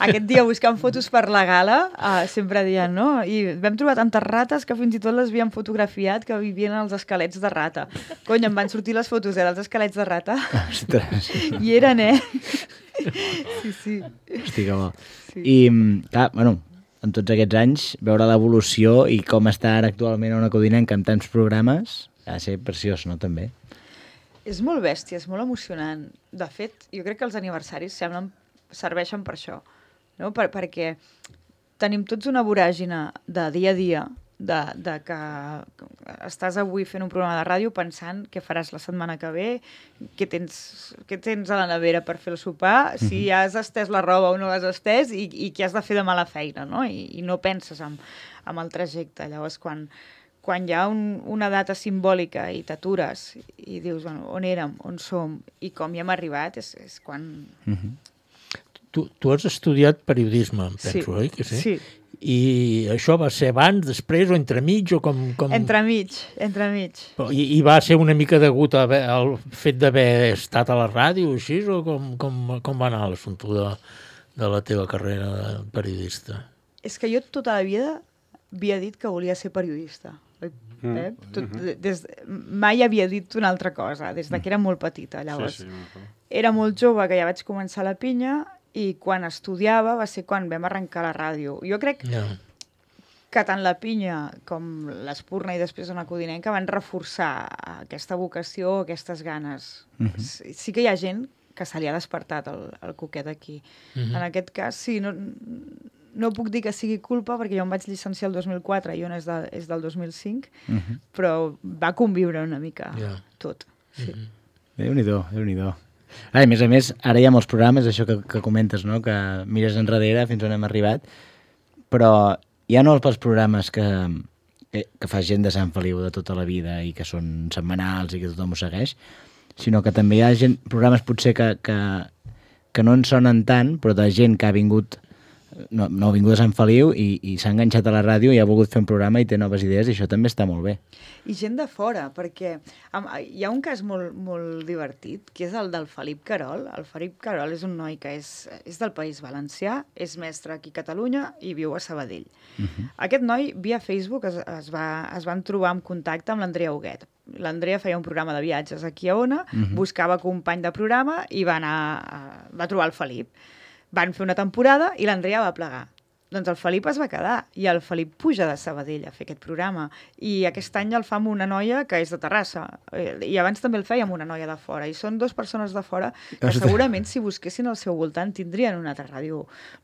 Aquest dia buscant fotos per la gala, uh, sempre dient, no? I vam trobar tantes rates que fins i tot les havíem fotografiat que vivien als esquelets de rata. Cony, em van sortir les fotos, eh, dels esquelets de rata. Ostres! I eren, eh? Sí, sí. Hosti, que bo. Sí. I, clar, bueno, en tots aquests anys, veure l'evolució i com està ara actualment Ona Codinenca amb tants programes, ha de ser preciós, no, també? És molt bèstia, és molt emocionant. De fet, jo crec que els aniversaris semblen, serveixen per això, no? Per, perquè tenim tots una voràgina de dia a dia, de, de que estàs avui fent un programa de ràdio pensant què faràs la setmana que ve, què tens, què tens a la nevera per fer el sopar, mm-hmm. si has estès la roba o no l'has estès i, i què has de fer demà a la feina, no? I, i no penses en, en el trajecte. Llavors, quan, quan hi ha un, una data simbòlica i t'atures i dius, bueno, on érem, on som i com hi hem arribat, és, és quan... Mm-hmm. Tu, tu has estudiat periodisme, em penso, sí. oi? Que sí? Sí. I això va ser abans, després o entremig? O com, com... Entremig, entremig. I, I va ser una mica degut a haver, al fet d'haver estat a la ràdio o així? O com, com, com va anar l'assumpte de, de la teva carrera de periodista? És que jo tota la vida havia dit que volia ser periodista. Mm. Eh? Tot, des, mai havia dit una altra cosa, des de que era molt petita. Llavors, sí, sí, era molt jove, que ja vaig començar la pinya, i quan estudiava va ser quan vam arrencar la ràdio. Jo crec yeah. que tant la pinya com l'Espurna i després Ona Codinenca van reforçar aquesta vocació, aquestes ganes. Mm-hmm. Sí, sí que hi ha gent que se li ha despertat el, el coquet aquí. Mm-hmm. En aquest cas, sí, no, no puc dir que sigui culpa perquè jo em vaig llicenciar el dos mil quatre i Ona és, de, és del dos mil cinc, mm-hmm. però va conviure una mica yeah. tot. Sí. Mm-hmm. Déu-n'hi-do, Déu-n'hi-do. Ah, a més a més, ara hi ha molts programes, això que, que comentes, no? Que mires enrere fins on hem arribat, però hi ha no els programes que, que, que fa gent de Sant Feliu de tota la vida i que són setmanals i que tothom ho segueix, sinó que també hi ha gent, programes potser que, que, que no en sonen tant, però de gent que ha vingut, no, no ha vingut a Sant Feliu i, i s'ha enganxat a la ràdio i ha volgut fer un programa i té noves idees i això també està molt bé. I gent de fora, perquè hi ha un cas molt, molt divertit, que és el del Felip Carol. El Felip Carol és un noi que és, és del País Valencià, és mestre aquí a Catalunya i viu a Sabadell. Uh-huh. Aquest noi, via Facebook, es, es, va, es van trobar en contacte amb l'Andrea Huguet. L'Andrea feia un programa de viatges aquí a Ona, uh-huh. buscava company de programa i va, anar a, va trobar el Felip. Van fer una temporada i l'Andrea va plegar. Doncs el Felip es va quedar i el Felip puja de Sabadell a fer aquest programa i aquest any el fa amb una noia que és de Terrassa i abans també el feia amb una noia de fora i són dues persones de fora que segurament si busquessin al seu voltant tindrien una altra ràdio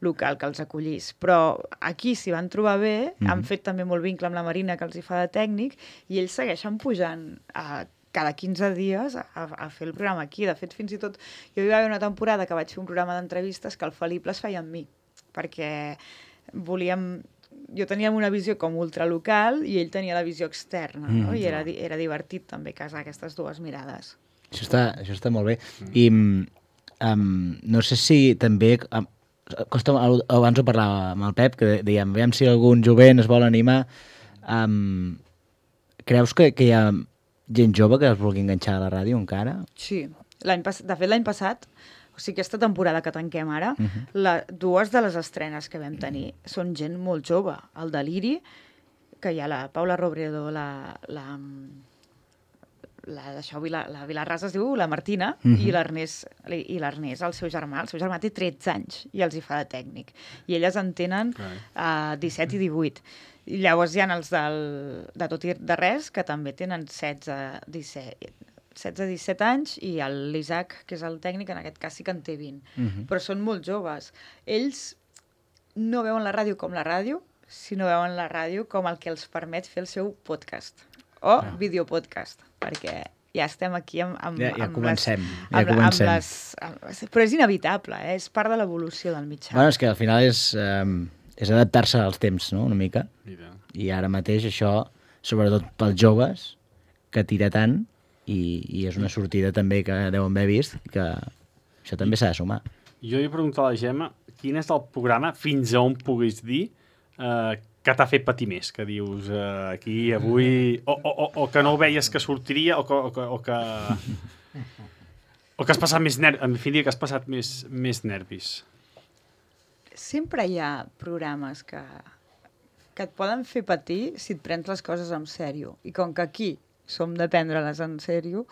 local que els acollís, però aquí s'hi van trobar bé, mm-hmm. han fet també molt vincle amb la Marina que els hi fa de tècnic i ells segueixen pujant a cada quinze dies a, a fer el programa aquí. De fet, fins i tot, jo hi va haver una temporada que vaig fer un programa d'entrevistes que el Felip les feia amb mi, perquè volíem... Jo tenia una visió com ultralocal i ell tenia la visió externa, no? Mm, I era, era divertit també casar aquestes dues mirades. Això està, això està molt bé. I um, no sé si també... Um, costa, abans ho parlàvem amb el Pep, que dèiem, veiem si algun jovent es vol animar. Um, creus que, que hi ha gent jove que es vulgui enganxar a la ràdio encara? Sí. L'any pas... De fet, l'any passat... O sigui, aquesta temporada que tanquem ara, uh-huh. la, dues de les estrenes que vam tenir són gent molt jove. El Deliri, que hi ha la Paula Robredo, la... la, la d'això, la, la Vilarrasa es diu la Martina, uh-huh. i l'Ernest, i l'Ernest, el seu germà. El seu germà té tretze anys i els hi fa de tècnic. I elles en tenen uh, disset i divuit. I llavors hi ha els del, de Tot i de Res, que també tenen setze, disset... setze disset anys, i l'Isaac, que és el tècnic, en aquest cas sí que en té vint. Uh-huh. Però són molt joves. Ells no veuen la ràdio com la ràdio, sinó veuen la ràdio com el que els permet fer el seu podcast. O ah. videopodcast, perquè ja estem aquí amb, amb, ja, ja amb comencem. les... Ja amb, comencem. Amb les, amb, però és inevitable, eh? És part de l'evolució del mitjà. Bueno, és que al final és, um, és adaptar-se als temps, no?, una mica. Mira. I ara mateix això, sobretot pels joves, que tira tant, i, i és una sortida també que deuen haver vist, que això també s'ha de sumar. Jo li he preguntat a la Gemma quin és el programa fins a on puguis dir eh, que t'ha fet patir més, que dius eh, aquí avui, o, o, o, o que no veies que sortiria, o que, o que, o que, o que has passat més nervis, en fi, que has passat més, més nervis. Sempre hi ha programes que, que et poden fer patir si et prens les coses en sèrio, i com que aquí som de prendre-les en sèrio.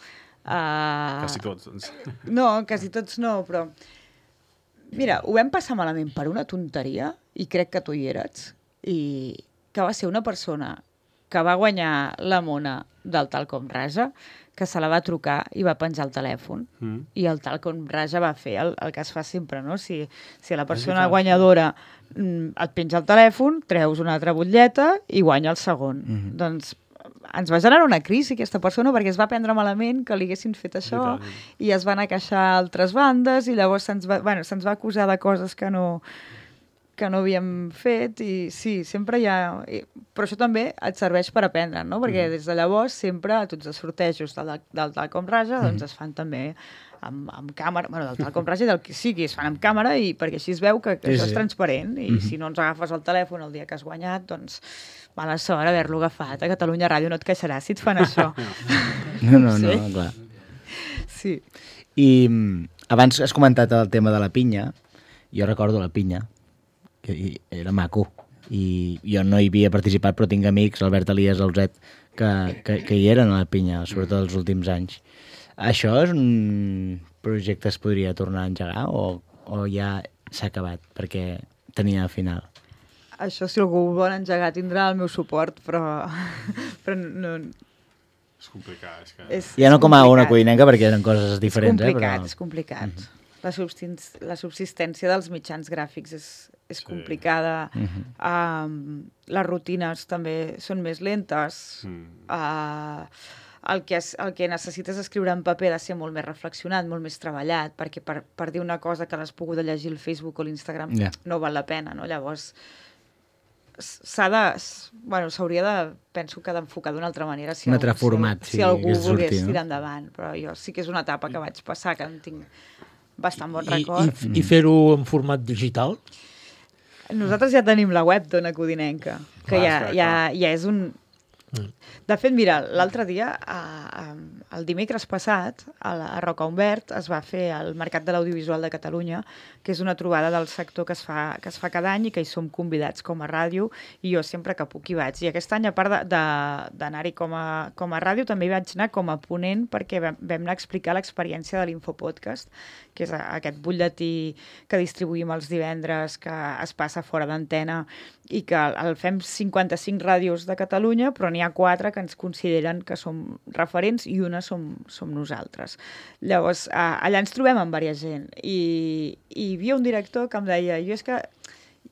Uh... Quasi tots, doncs. No, quasi tots no, però... Mira, ho vam passar malament per una tonteria, i crec que tu hi eres, i que va ser una persona que va guanyar la mona del Talcom Raja, que se la va trucar i va penjar el telèfon. Mm. I el Talcom Raja va fer el, el que es fa sempre, no? Si, si la persona guanyadora mm, et penja el telèfon, treus una altra butlleta i guanya el segon. Mm-hmm. Doncs ens va generar una crisi aquesta persona perquè es va prendre malament que li haguessin fet això i es van a queixar altres bandes i llavors se'ns va, bueno, se'ns va acusar de coses que no, que no havíem fet i sí, sempre hi ha... Però això també et serveix per aprendre, no? Perquè des de llavors sempre tots els sortejos del, del Talcom Raja doncs es fan també amb, amb càmera, bueno, del Talcom Raja i del que sigui, es fan amb càmera i perquè així es veu que, que sí, això és transparent i mm-hmm. si no ens agafes el telèfon el dia que has guanyat, doncs mala sort haver-lo agafat. A Catalunya Ràdio no et queixaràs si et fan això. No, no, no, sí? Clar. Sí. I abans has comentat el tema de la pinya. Jo recordo la pinya, que era maco. I jo no hi havia participat, però tinc amics, Albert Elias, Alzet, que, que, que hi eren a la pinya, sobretot els últims anys. Això és un projecte que es podria tornar a engegar o, o ja s'ha acabat perquè tenia final? Això, si algú ho vol engegar, tindrà el meu suport, però, però no... És complicat. És que... és, ja no com a una codinenca, perquè eren coses diferents. És complicat, eh, però... és complicat. Mm-hmm. La, subsistència, la subsistència dels mitjans gràfics és, és sí. complicada. Mm-hmm. um, les rutines també són més lentes. Mm. Uh, el, que es, el que necessites escriure en paper ha de ser molt més reflexionat, molt més treballat, perquè per, per dir una cosa que l'has pogut llegir al Facebook o l'Instagram yeah. no val la pena, no? Llavors... s'ha de... Bueno, s'hauria de... Penso que d'enfocar d'una altra manera si, un altre algú, format, si, sí, si algú sortir, volgués no? tirar endavant. Però jo sí que és una etapa que vaig passar, que en tinc bastant bon I, record. I, i fer-ho en format digital? Nosaltres ja tenim la web d'Ona Codinenca, que clar, ja, clar, ja, clar. ja és un... De fet, mira, l'altre dia, a, a, el dimecres passat, a, la, a Roca Humbert, es va fer el Mercat de l'Audiovisual de Catalunya, que és una trobada del sector que es fa, que es fa cada any i que hi som convidats com a ràdio, i jo sempre que puc hi vaig. I aquest any, a part d'anar-hi com, a, com a ràdio, també hi vaig anar com a ponent perquè vam, vam anar a explicar l'experiència de l'Infopodcast, que és aquest butlletí que distribuïm els divendres, que es passa fora d'antena, i que el fem cinquanta-cinc ràdios de Catalunya, però n'hi ha quatre que ens consideren que som referents i una som, som nosaltres. Llavors, allà ens trobem amb diversa gent i, i hi havia un director que em deia jo és que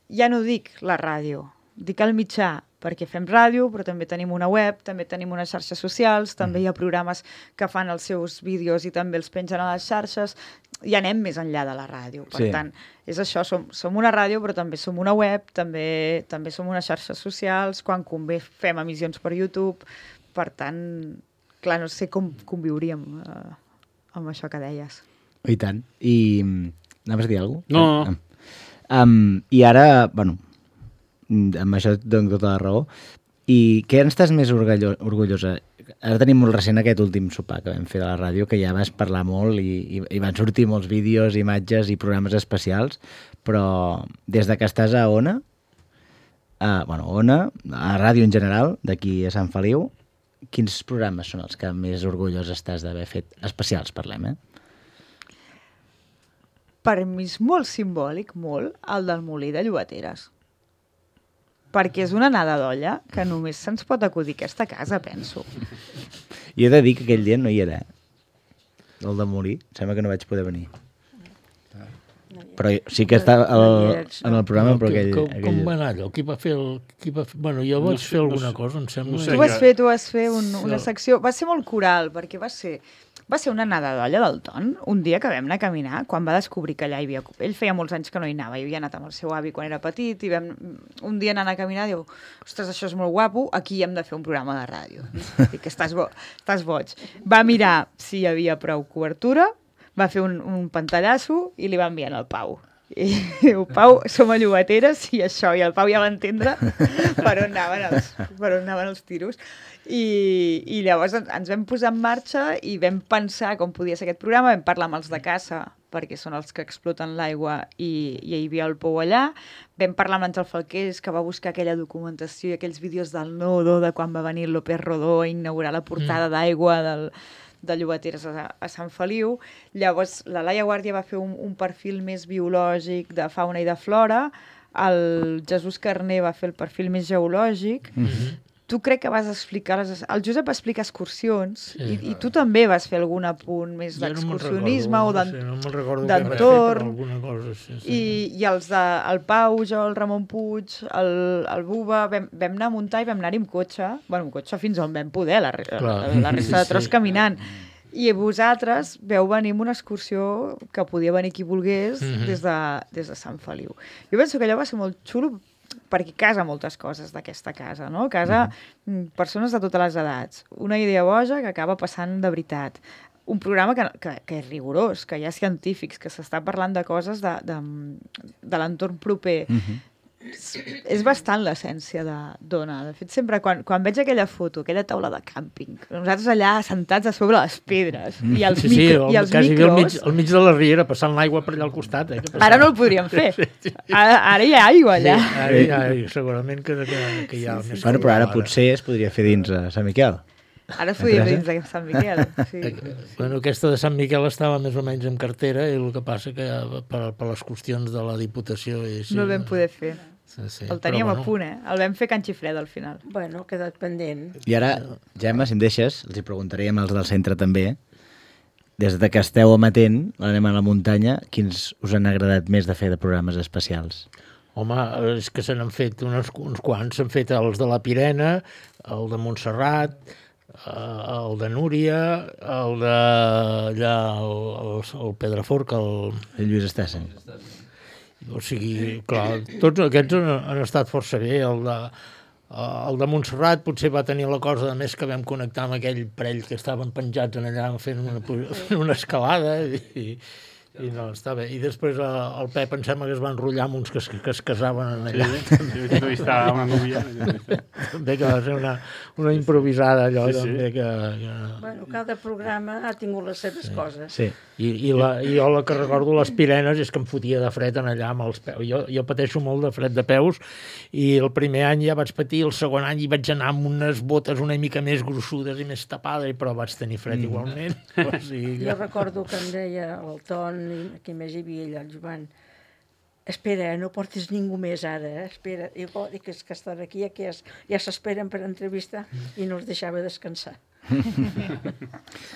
ja no dic la ràdio, dic el mitjà, perquè fem ràdio, però també tenim una web, també tenim unes xarxes socials, també hi ha programes que fan els seus vídeos i també els pengen a les xarxes, i anem més enllà de la ràdio. Per sí. tant, és això, som, som una ràdio, però també som una web, també, també som unes xarxes socials, quan convé fem emissions per YouTube, per tant, clar, no sé com conviuríem eh, amb això que deies. I tant. I anaves a dir alguna cosa? No, no, no. Um, I ara, bueno, amb això et dono tota la raó. I què n'estàs més orgullo orgullosa? Ara tenim molt recent aquest últim sopar que vam fer de la ràdio, que ja vas parlar molt i, i, i van sortir molts vídeos, imatges i programes especials, però des de que estàs a Ona, a, bueno, Ona, a ràdio en general, d'aquí a Sant Feliu, quins programes són els que més orgullós estàs d'haver fet? Especials, parlem, eh? Per mi és molt simbòlic, molt, el del Molí de Llobateres. Perquè és una nada d'olla que només se'ns pot acudir a aquesta casa, penso. I he de dir que aquell dia no hi era. El de Molí, sembla que no vaig poder venir. Però sí que estava el, en el programa, però aquell... Com, aquell... com va anar allò? Qui va fer el... Qui va fer... Bueno, jo vaig no sé, fer alguna no sé, cosa, em sembla. No sé, tu vas fer, tu vas fer un, una secció... Va ser molt coral, perquè va ser... Va ser una nada d'olla del Ton, un dia que vam anar a caminar, quan va descobrir que allà hi havia... Ell feia molts anys que no hi anava, hi havia anat amb el seu avi quan era petit, i vam... un dia anant a caminar, diu, ostres, això és molt guapo, aquí hem de fer un programa de ràdio. I que estàs, bo... estàs boig. Va mirar si hi havia prou cobertura, va fer un, un pantallasso i li va enviar al Pau. I diu, Pau, som a Llobateres i això, i el Pau ja va entendre per on anaven els, per on anaven els tiros. I, i llavors ens vam posar en marxa i vam pensar com podia ser aquest programa, vam parlar amb els de caça, perquè són els que exploten l'aigua i, i hi havia el pou allà, vam parlar amb Àngel Falqués, que va buscar aquella documentació i aquells vídeos del Nodo, de quan va venir López Rodó a inaugurar la portada mm. d'aigua del... de Llobateres a, a Sant Feliu. Llavors, la Laia Guàrdia va fer un, un perfil més biològic de fauna i de flora. el Jesús Carner va fer el perfil més geològic, Mhm. tu crec que vas explicar... Les... El Josep va explicar excursions, Sí. i, i tu també vas fer algun apunt més Jo no me'n d'excursionisme recordo, o no d'en- sé, no me'n recordo què vaig fer, d'entorn. però alguna cosa, sí, sí. I, i els de, el Pau, jo, el Ramon Puig, el, el Buba, vam, vam anar a muntar i vam anar-hi amb cotxe, bueno, amb cotxe fins on vam poder, la, re- Clar. la, la resta de Sí, tros sí. caminant. I vosaltres veu venir amb una excursió que podia venir qui volgués Mhm. des, de, des de Sant Feliu. Jo penso que allò va ser molt xulo perquè casa moltes coses d'aquesta casa, no? Casa mm, persones de totes les edats. Una idea boja que acaba passant de veritat. Un programa que, que, que és rigorós, que hi ha científics, que s'està parlant de coses de, de, de l'entorn proper. Mhm. És, és bastant l'essència de d'Ona. De fet, sempre quan, quan veig aquella foto, aquella taula de càmping, nosaltres allà sentats a sobre les pedres, i els, sí, sí, micro, el, i els quasi bé al mig, micros... al mig de la riera, passant l'aigua per allà al costat. Eh, que passava. Ara no el podríem fer. Ara, ara hi ha aigua allà. Sí, ara hi ha, segurament que, que, que hi ha Sí, sí, més... sí. Bueno, però ara control, potser es podria fer dins a Sant Miquel. Ara es podria fer Teresa? dins de Sant Miquel. Sí. Bueno, aquesta de Sant Miquel estava més o menys en cartera i el que passa que per, per les qüestions de la Diputació... I sí, No el vam poder fer. Sí, sí, El teníem però, a punt, eh? El vam fer Can Xifreda al final. Bueno, ha quedat pendent. I ara, Gemma, si em deixes, els hi preguntaríem als del centre també, des de que esteu amatent, l'anem a la muntanya, quins us han agradat més de fer de programes especials? Home, és que se n'han fet uns, uns quants. S'han fet els de la Pirena, el de Montserrat, eh, el de Núria, el de allà, el, el, el Pedraforca, el... El Lluís Estassen. O sigui, clar, tots aquests han, han estat força bé. El de, el de Montserrat potser va tenir la cosa de més que vam connectar amb aquell parell que estaven penjats en allà fent una, fent una escalada i, i no, està bé. I després el, el Pep em sembla que es va enrotllar amb uns que, es- que es casaven en allà. Sí, sí, he entrevistat a una núvia. També que va ser una, una improvisada allò, Sí, sí. també que... que... Bueno, cada programa ha tingut les seves coses. Sí. I, i, la, I jo la que recordo les Pirenes és que em fotia de fred en allà amb els peus. Jo, jo pateixo molt de fred de peus i el primer any ja vaig patir, el segon any hi vaig anar amb unes botes una mica més gruixudes i més tapades, però vaig tenir fred Mm. igualment. O sigui que... Jo recordo que em deia el Ton, i qui més hi havia allà, el Joan, espera, no portis ningú més ara, eh? Espera. I bo, dic, és que estan aquí, ja, que es, ja s'esperen per entrevistar, i no els deixava descansar.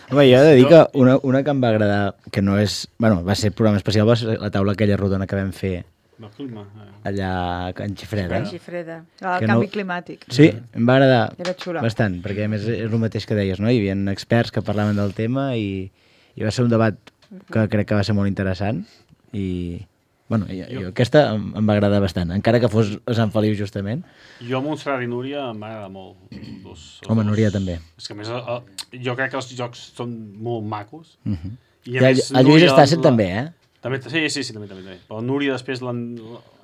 Home, jo he de dir que una, una que em va agradar, que no és... Bueno, va ser programa especial, va ser la taula aquella rodona que vam fer Del clima. eh. allà a Can Xifreda. Can Xifreda. El Que canvi no- climàtic. Sí, em va agradar Era xula. bastant, perquè a més és el mateix que deies, no? Hi havia experts que parlaven del tema i, i va ser un debat que crec que va ser molt interessant i, bueno, i, i aquesta em, em va agradar bastant, encara que fos a Sant Feliu justament. Jo, Montserrat i Núria, em va agradar molt. Dos, els Home, dos. Núria també. És que a més, el, el, jo crec que els jocs són molt macos. Uh -huh. I I el, el Lluís Estassen també, eh? També, sí, sí, sí, també, també. també. Però Núria després l'en-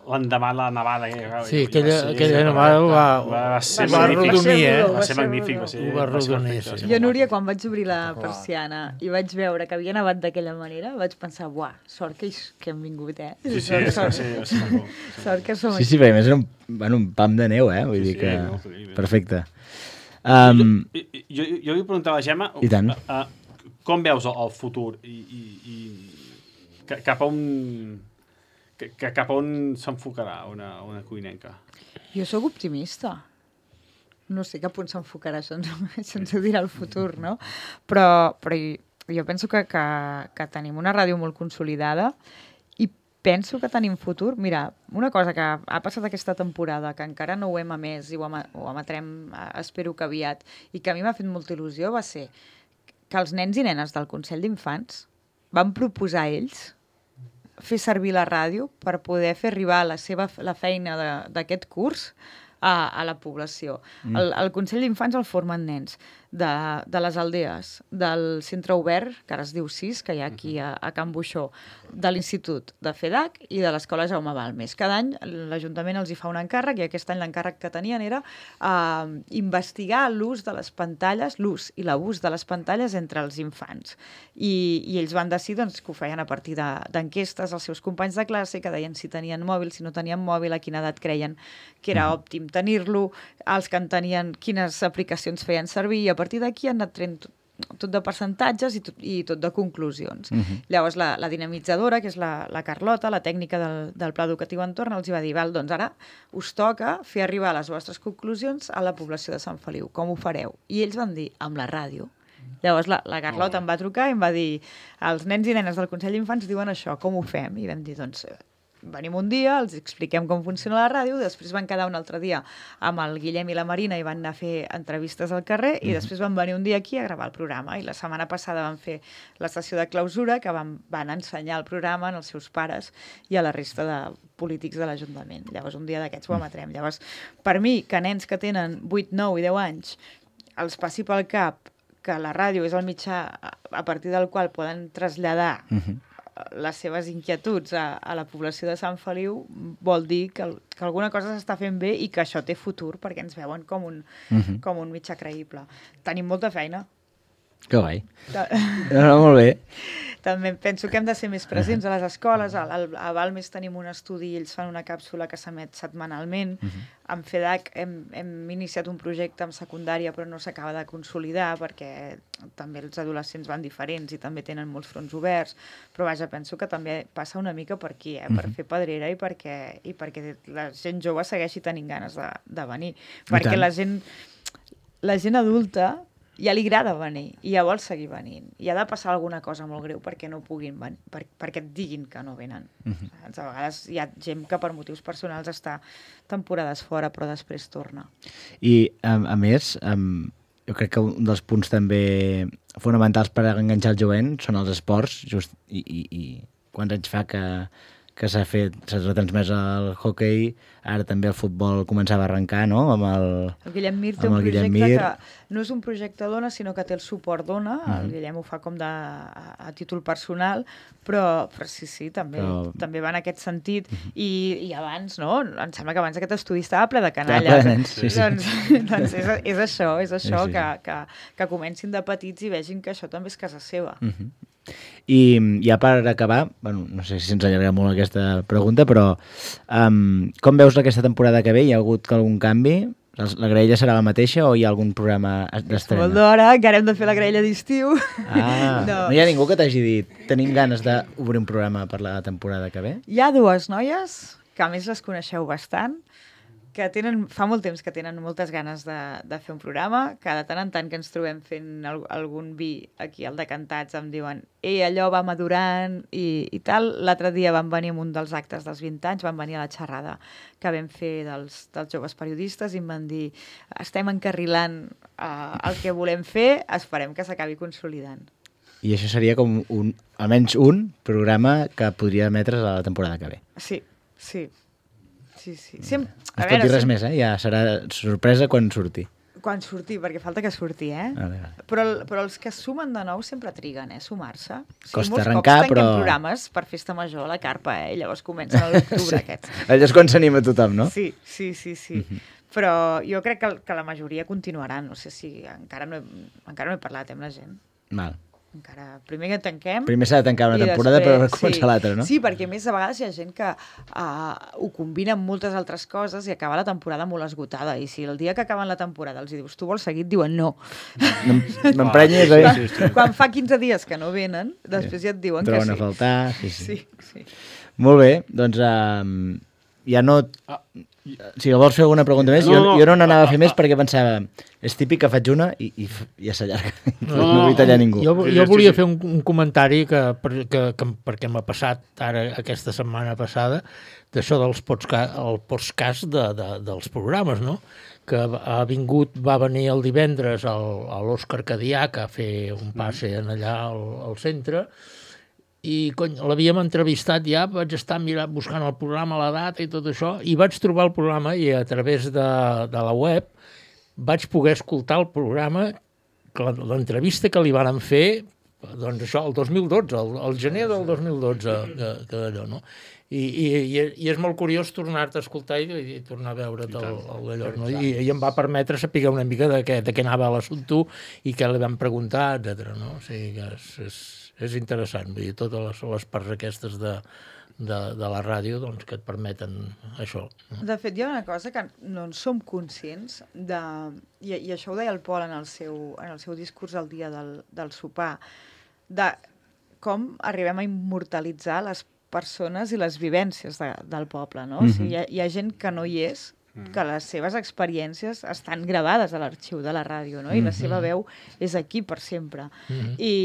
l'endemà la nevada. Que, Sí, aquella, aquella nevada va, va ser va magnífic. arrodonir, eh? Va ser magnífic. Va ser, Ho va va ser arrodonir, perfecte, va sí. ser Jo, molt Núria, quan vaig obrir la persiana i vaig veure que havia nevat d'aquella manera, vaig pensar, buah, sort que, hi- que hem vingut, eh? Sí, sí, Sort- va sort- ser- va ser maco. Sort que som Sí, aquí. sí, perquè a més era un, bueno, un pam de neu, eh? Vull Sí, dir sí, que... no, increïble. Perfecte. Um, Jo, jo, jo li preguntava a la Gemma I tant. uh, uh, com veus el, el futur i, i, i ca- cap a on que, que cap a on s'enfocarà una, una cuinenca? Jo sóc optimista. No sé cap on s'enfocarà, això ens, això ens ho dirà el futur, no? Però, però jo penso que, que, que tenim una ràdio molt consolidada i penso que tenim futur. Mira, una cosa que ha passat aquesta temporada, que encara no ho hem emès i ho, em, ho emetrem, eh, espero que aviat, i que a mi m'ha fet molta il·lusió, va ser que els nens i nenes del Consell d'Infants van proposar ells fer servir la ràdio per poder fer arribar la seva la feina de- d'aquest curs a, a la població. Mm. El, el Consell d'Infants el formen nens de, de les aldees, del centre obert, que ara es diu sis, que hi ha aquí a, a Can Buixó, de l'Institut de FEDAC i de l'Escola Jaume Balmes. Cada any l'Ajuntament els hi fa un encàrrec i aquest any l'encàrrec que tenien era uh, investigar l'ús de les pantalles, l'ús i l'abús de les pantalles entre els infants. I, i ells van decidir doncs, que ho feien a partir de- d'enquestes als seus companys de classe que deien si tenien mòbil, si no tenien mòbil, a quina edat creien que era òptim tenir-lo, els que en tenien quines aplicacions feien servir, i a partir d'aquí han anat traient tot de percentatges i tot, i tot de conclusions. Uh -huh. Llavors, la, la dinamitzadora, que és la, la Carlota, la tècnica del, del Pla Educatiu Entorn, els hi va dir, val, doncs ara us toca fer arribar les vostres conclusions a la població de Sant Feliu. Com ho fareu? I ells van dir, amb la ràdio. Llavors la, la Carlota em va trucar i em va dir, els nens i nenes del Consell d'Infants diuen això, com ho fem? I vam dir, doncs, venim un dia, els expliquem com funciona la ràdio, després van quedar un altre dia amb el Guillem i la Marina i van anar a fer entrevistes al carrer i després van venir un dia aquí a gravar el programa. I la setmana passada van fer la sessió de clausura que van, van ensenyar el programa als seus pares i a la resta de polítics de l'Ajuntament. Llavors un dia d'aquests ho emetrem. Llavors, per mi, que nens que tenen vuit, nou i deu anys els passi pel cap que la ràdio és el mitjà a partir del qual poden traslladar uh-huh. les seves inquietuds a, a la població de Sant Feliu, vol dir que, que alguna cosa s'està fent bé i que això té futur, perquè ens veuen com un, uh-huh. com un mitjà creïble. Tenim molta feina. Que guai. No, no, molt bé. També penso que hem de ser més presents a les escoles. A, a Balmes tenim un estudi i ells fan una càpsula que s'emet setmanalment. Uh -huh. En FEDAC hem, hem iniciat un projecte en secundària però no s'acaba de consolidar perquè també els adolescents van diferents i també tenen molts fronts oberts. Però vaja, penso que també passa una mica per aquí, eh? Uh -huh. Per fer pedrera i perquè, i perquè la gent jove segueixi tenint ganes de, de venir. Perquè la gent, la gent adulta ja li agrada venir i ja vol seguir venint. I ha de passar alguna cosa molt greu perquè no puguin venir, per, perquè et diguin que no venen. Uh-huh. A vegades hi ha gent que per motius personals està temporades fora però després torna. I a, a més, um, jo crec que un dels punts també fonamentals per enganxar el jovent són els esports, just, i, i, i quants anys fa que que s'ha fet, s'ha retransmès el hoquei, ara també el futbol començava a arrencar, no?, amb el... El Guillem Mir té un projecte Mir. que no és un projecte d'Ona, sinó que té el suport d'Ona, uh-huh. el Guillem ho fa com de, a, a títol personal, però, però sí, sí, també, però... també va en aquest sentit, uh-huh. I, i abans, no?, em sembla que abans aquest estudi estava ple de canalla. Ple de nens, sí, sí. Doncs, doncs és, és això, és això, sí, sí. Que, que, que comencin de petits i vegin que això també és casa seva. Uh-huh. I ja per acabar, bueno, no sé si ens allarga molt aquesta pregunta, però um, com veus aquesta temporada que ve? Hi ha hagut algun canvi? La graella serà la mateixa o hi ha algun programa d'estrena? Molt d'hora, encara hem de fer la graella d'estiu. Ah, no. no hi ha ningú que t'hagi dit tenim ganes d'obrir un programa per la temporada que ve? Hi ha dues noies, que a més les coneixeu bastant, que tenen, fa molt temps que tenen moltes ganes de, de fer un programa, que de tant en tant que ens trobem fent el, algun vi aquí al Decantats em diuen ei, allò va madurant i, i tal. L'altre dia van venir amb un dels actes dels vint anys, van venir a la xerrada que vam fer dels, dels joves periodistes i em van dir estem encarrilant uh, el que volem fer, esperem que s'acabi consolidant. I això seria com un, almenys un programa que podria emetre's a la temporada que ve. Sí, sí. Sí, sí. Sem... No es pot dir res sem... més, eh? Ja serà sorpresa quan surti. Quan surti, perquè falta que surti, eh? Vale, vale. Però, però els que sumen de nou sempre triguen, eh? Sumar-se. Sí, costa molts arrencar, cops però... programes per festa major a la carpa, eh? I llavors comencen a l'octubre, sí. Aquests. Allò és quan s'anima tothom, no? Sí, sí, sí, sí. Uh-huh. Però jo crec que, que la majoria continuaran. No sé si encara no he, encara no he parlat amb la gent. Val. Encara, primer que tanquem... Primer s'ha de tancar una temporada després, per començar sí, l'altra, no? Sí, perquè a més a vegades hi ha gent que uh, ho combina amb moltes altres coses i acaba la temporada molt esgotada. I si el dia que acaben la temporada els dius tu vols seguir, et diuen no. M'emprenyes, oi? Quan, sí, sí. Quan fa quinze dies que no venen, després ja et diuen Troben que sí. a faltar, sí, sí. sí, sí. Molt bé, doncs um, ja no... Ah. Si vols fer alguna pregunta més, no, jo, no, jo no n'anava a fer més perquè pensava és típic que faig una i, i ja s'allarga. No, no, no vull tallar ningú. Jo, jo volia fer un, un comentari que, que, que, perquè m'ha passat ara aquesta setmana passada d'això dels podcast, el podcast de, de, dels programes, no? Que ha vingut, va venir el divendres a l'Òscar Cadiac a fer un passe allà al, al centre i cony, l'havíem entrevistat ja, vaig estar mirant, buscant el programa, la data i tot això, i vaig trobar el programa i a través de, de la web vaig poder escoltar el programa, l'entrevista que li varen fer, doncs això, el dos mil dotze, el, el gener del dos mil dotze, que, que d'allò, no? I, i, i, i és molt curiós tornar-te a escoltar i, i tornar a veure't el, el d'allò, no? I, I em va permetre saber una mica de què, de què anava l'assumpte i què li vam preguntar, etcètera. No? O sigui que és, és, és interessant, vull dir, totes les, les parts aquestes de, de, de la ràdio doncs, que et permeten això. De fet, hi ha una cosa que no en som conscients de... I, i això ho deia el Pol en el seu, en el seu discurs el dia del, del sopar, de com arribem a immortalitzar les persones i les vivències de, del poble, no? Mm-hmm. O sigui, hi ha, hi ha gent que no hi és, que les seves experiències estan gravades a l'arxiu de la ràdio, no? I mm-hmm. la seva veu és aquí per sempre. Mm-hmm. I,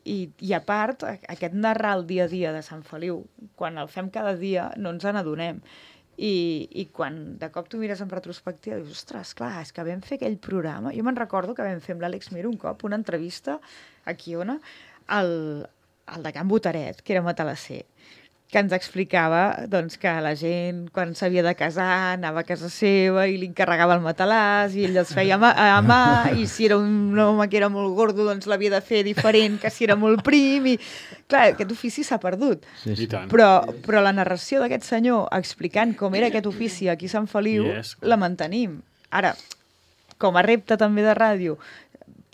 i, I a part, aquest narrar el dia a dia de Sant Feliu, quan el fem cada dia no ens n'adonem. I, I quan de cop tu mires en retrospectiva dius, ostres, clar, és que vam fer aquell programa. Jo me'n recordo que vam fer amb l'Àlex Mir un cop una entrevista aquí on el, el de Can Botaret, que era matalasser, que ens explicava doncs, que la gent, quan s'havia de casar, anava a casa seva i li encarregava el matalàs i ell els feia a mà, a mà i si era un home que era molt gordo, doncs l'havia de fer diferent que si era molt prim. I... Clar, aquest ofici s'ha perdut. Sí, sí. Però, però la narració d'aquest senyor explicant com era aquest ofici aquí a Sant Feliu, yes. la mantenim. Ara, com a repte també de ràdio,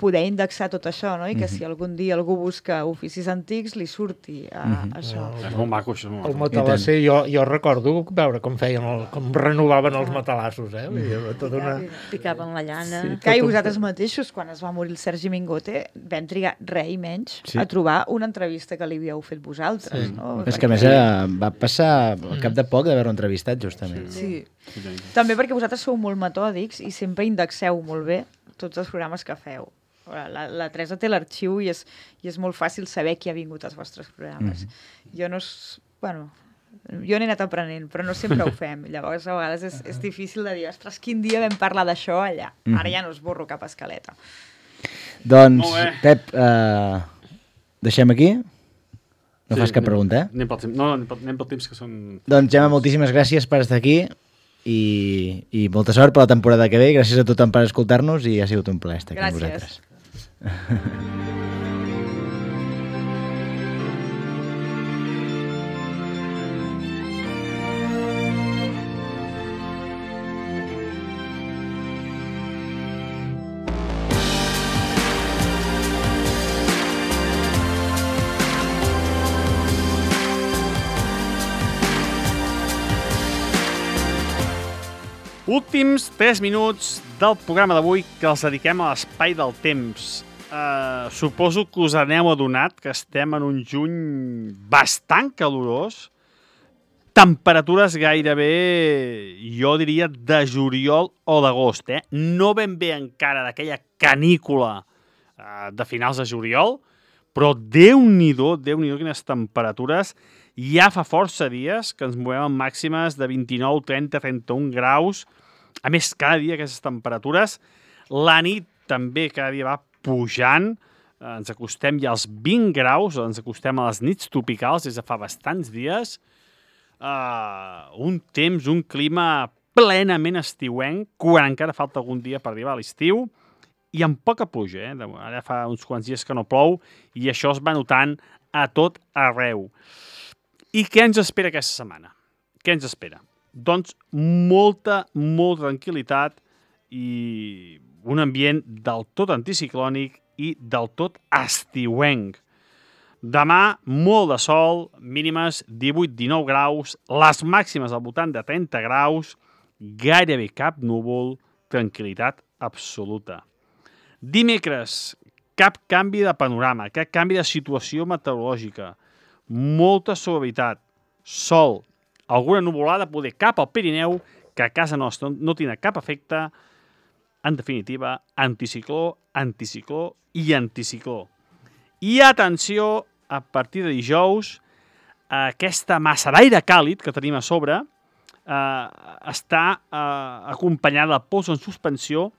poder indexar tot això, no? I que mm-hmm. si algun dia algú busca oficis antics, li surti a, mm-hmm. això. No, és molt maco, això. El matalasser, jo, jo recordo veure com feien, el, com renovaven els matalassos, eh? Mm-hmm. Tota una... Picaven la llana. Sí, que i vosaltres mateixos, quan es va morir el Sergi Mingote, vam trigar res i menys sí. a trobar una entrevista que li havíeu fet vosaltres, sí. no? És que a més eh, va passar al cap de poc d'haver-ho entrevistat, justament. Sí. sí. sí. També perquè vosaltres sou molt metòdics i sempre indexeu molt bé tots els programes que feu. La, la Teresa té l'arxiu i, és, i és molt fàcil saber qui ha vingut als vostres programes. Mm-hmm. Jo no... Bueno, jo n'he anat aprenent, però no sempre ho fem. Llavors, a vegades és, és difícil de dir, ostres, quin dia vam parlar d'això allà. Mm-hmm. Ara ja no esborro cap escaleta. Doncs, Pep, uh, deixem aquí? No sí, fas cap anem, pregunta, eh? Anem pel temps. No, anem pel, anem pel temps que són... Doncs, Gemma, moltíssimes gràcies per estar aquí. I, i molta sort per la temporada que ve. Gràcies a tothom per escoltar-nos i ha sigut un plaer estar aquí amb vosaltres. Últims tres minuts del programa d'avui que els dediquem a l'espai del temps. Uh, suposo que us aneu adonat que estem en un juny bastant calorós. Temperatures gairebé, jo diria, de juliol o d'agost. Eh? No ben bé encara d'aquella canícula uh, de finals de juliol, però Déu-n'hi-do, Déu-n'hi-do quines temperatures. Ja fa força dies que ens movem en màximes de vint-i-nou, trenta, trenta-un graus. A més, cada dia aquestes temperatures. La nit també cada dia va pujant. Ens acostem ja als vint graus, ens acostem a les nits tropicals des de fa bastants dies. Uh, un temps, un clima plenament estiuenc, quan encara falta algun dia per arribar a l'estiu, i amb poca pluja. Eh? Ara fa uns quants dies que no plou i això es va notant a tot arreu. I què ens espera aquesta setmana? Què ens espera? Doncs molta, molta tranquil·litat i un ambient del tot anticiclònic i del tot estiuenc. Demà, molt de sol, mínimes divuit dinou graus, les màximes al voltant de trenta graus, gairebé cap núvol, tranquil·litat absoluta. Dimecres, cap canvi de panorama, cap canvi de situació meteorològica, molta suavitat, sol, alguna nuvolada, poder cap al Pirineu, que a casa nostra no tindrà cap efecte. En definitiva, anticicló, anticicló i anticicló. I atenció, a partir de dijous, aquesta massa d'aire càlid que tenim a sobre eh, està eh, acompanyada de pols en suspensió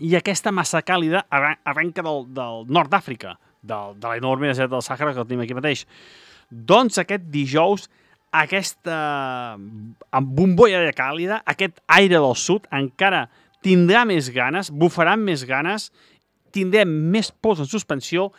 i aquesta massa càlida arrenca del, del nord d'Àfrica, del, de l'enorme desert del Sàhara que el tenim aquí mateix. Doncs aquest dijous, aquesta bombolla d'aire càlida, aquest aire del sud, encara tindrà més ganes, bufarà més ganes, tindrem més pols en suspensió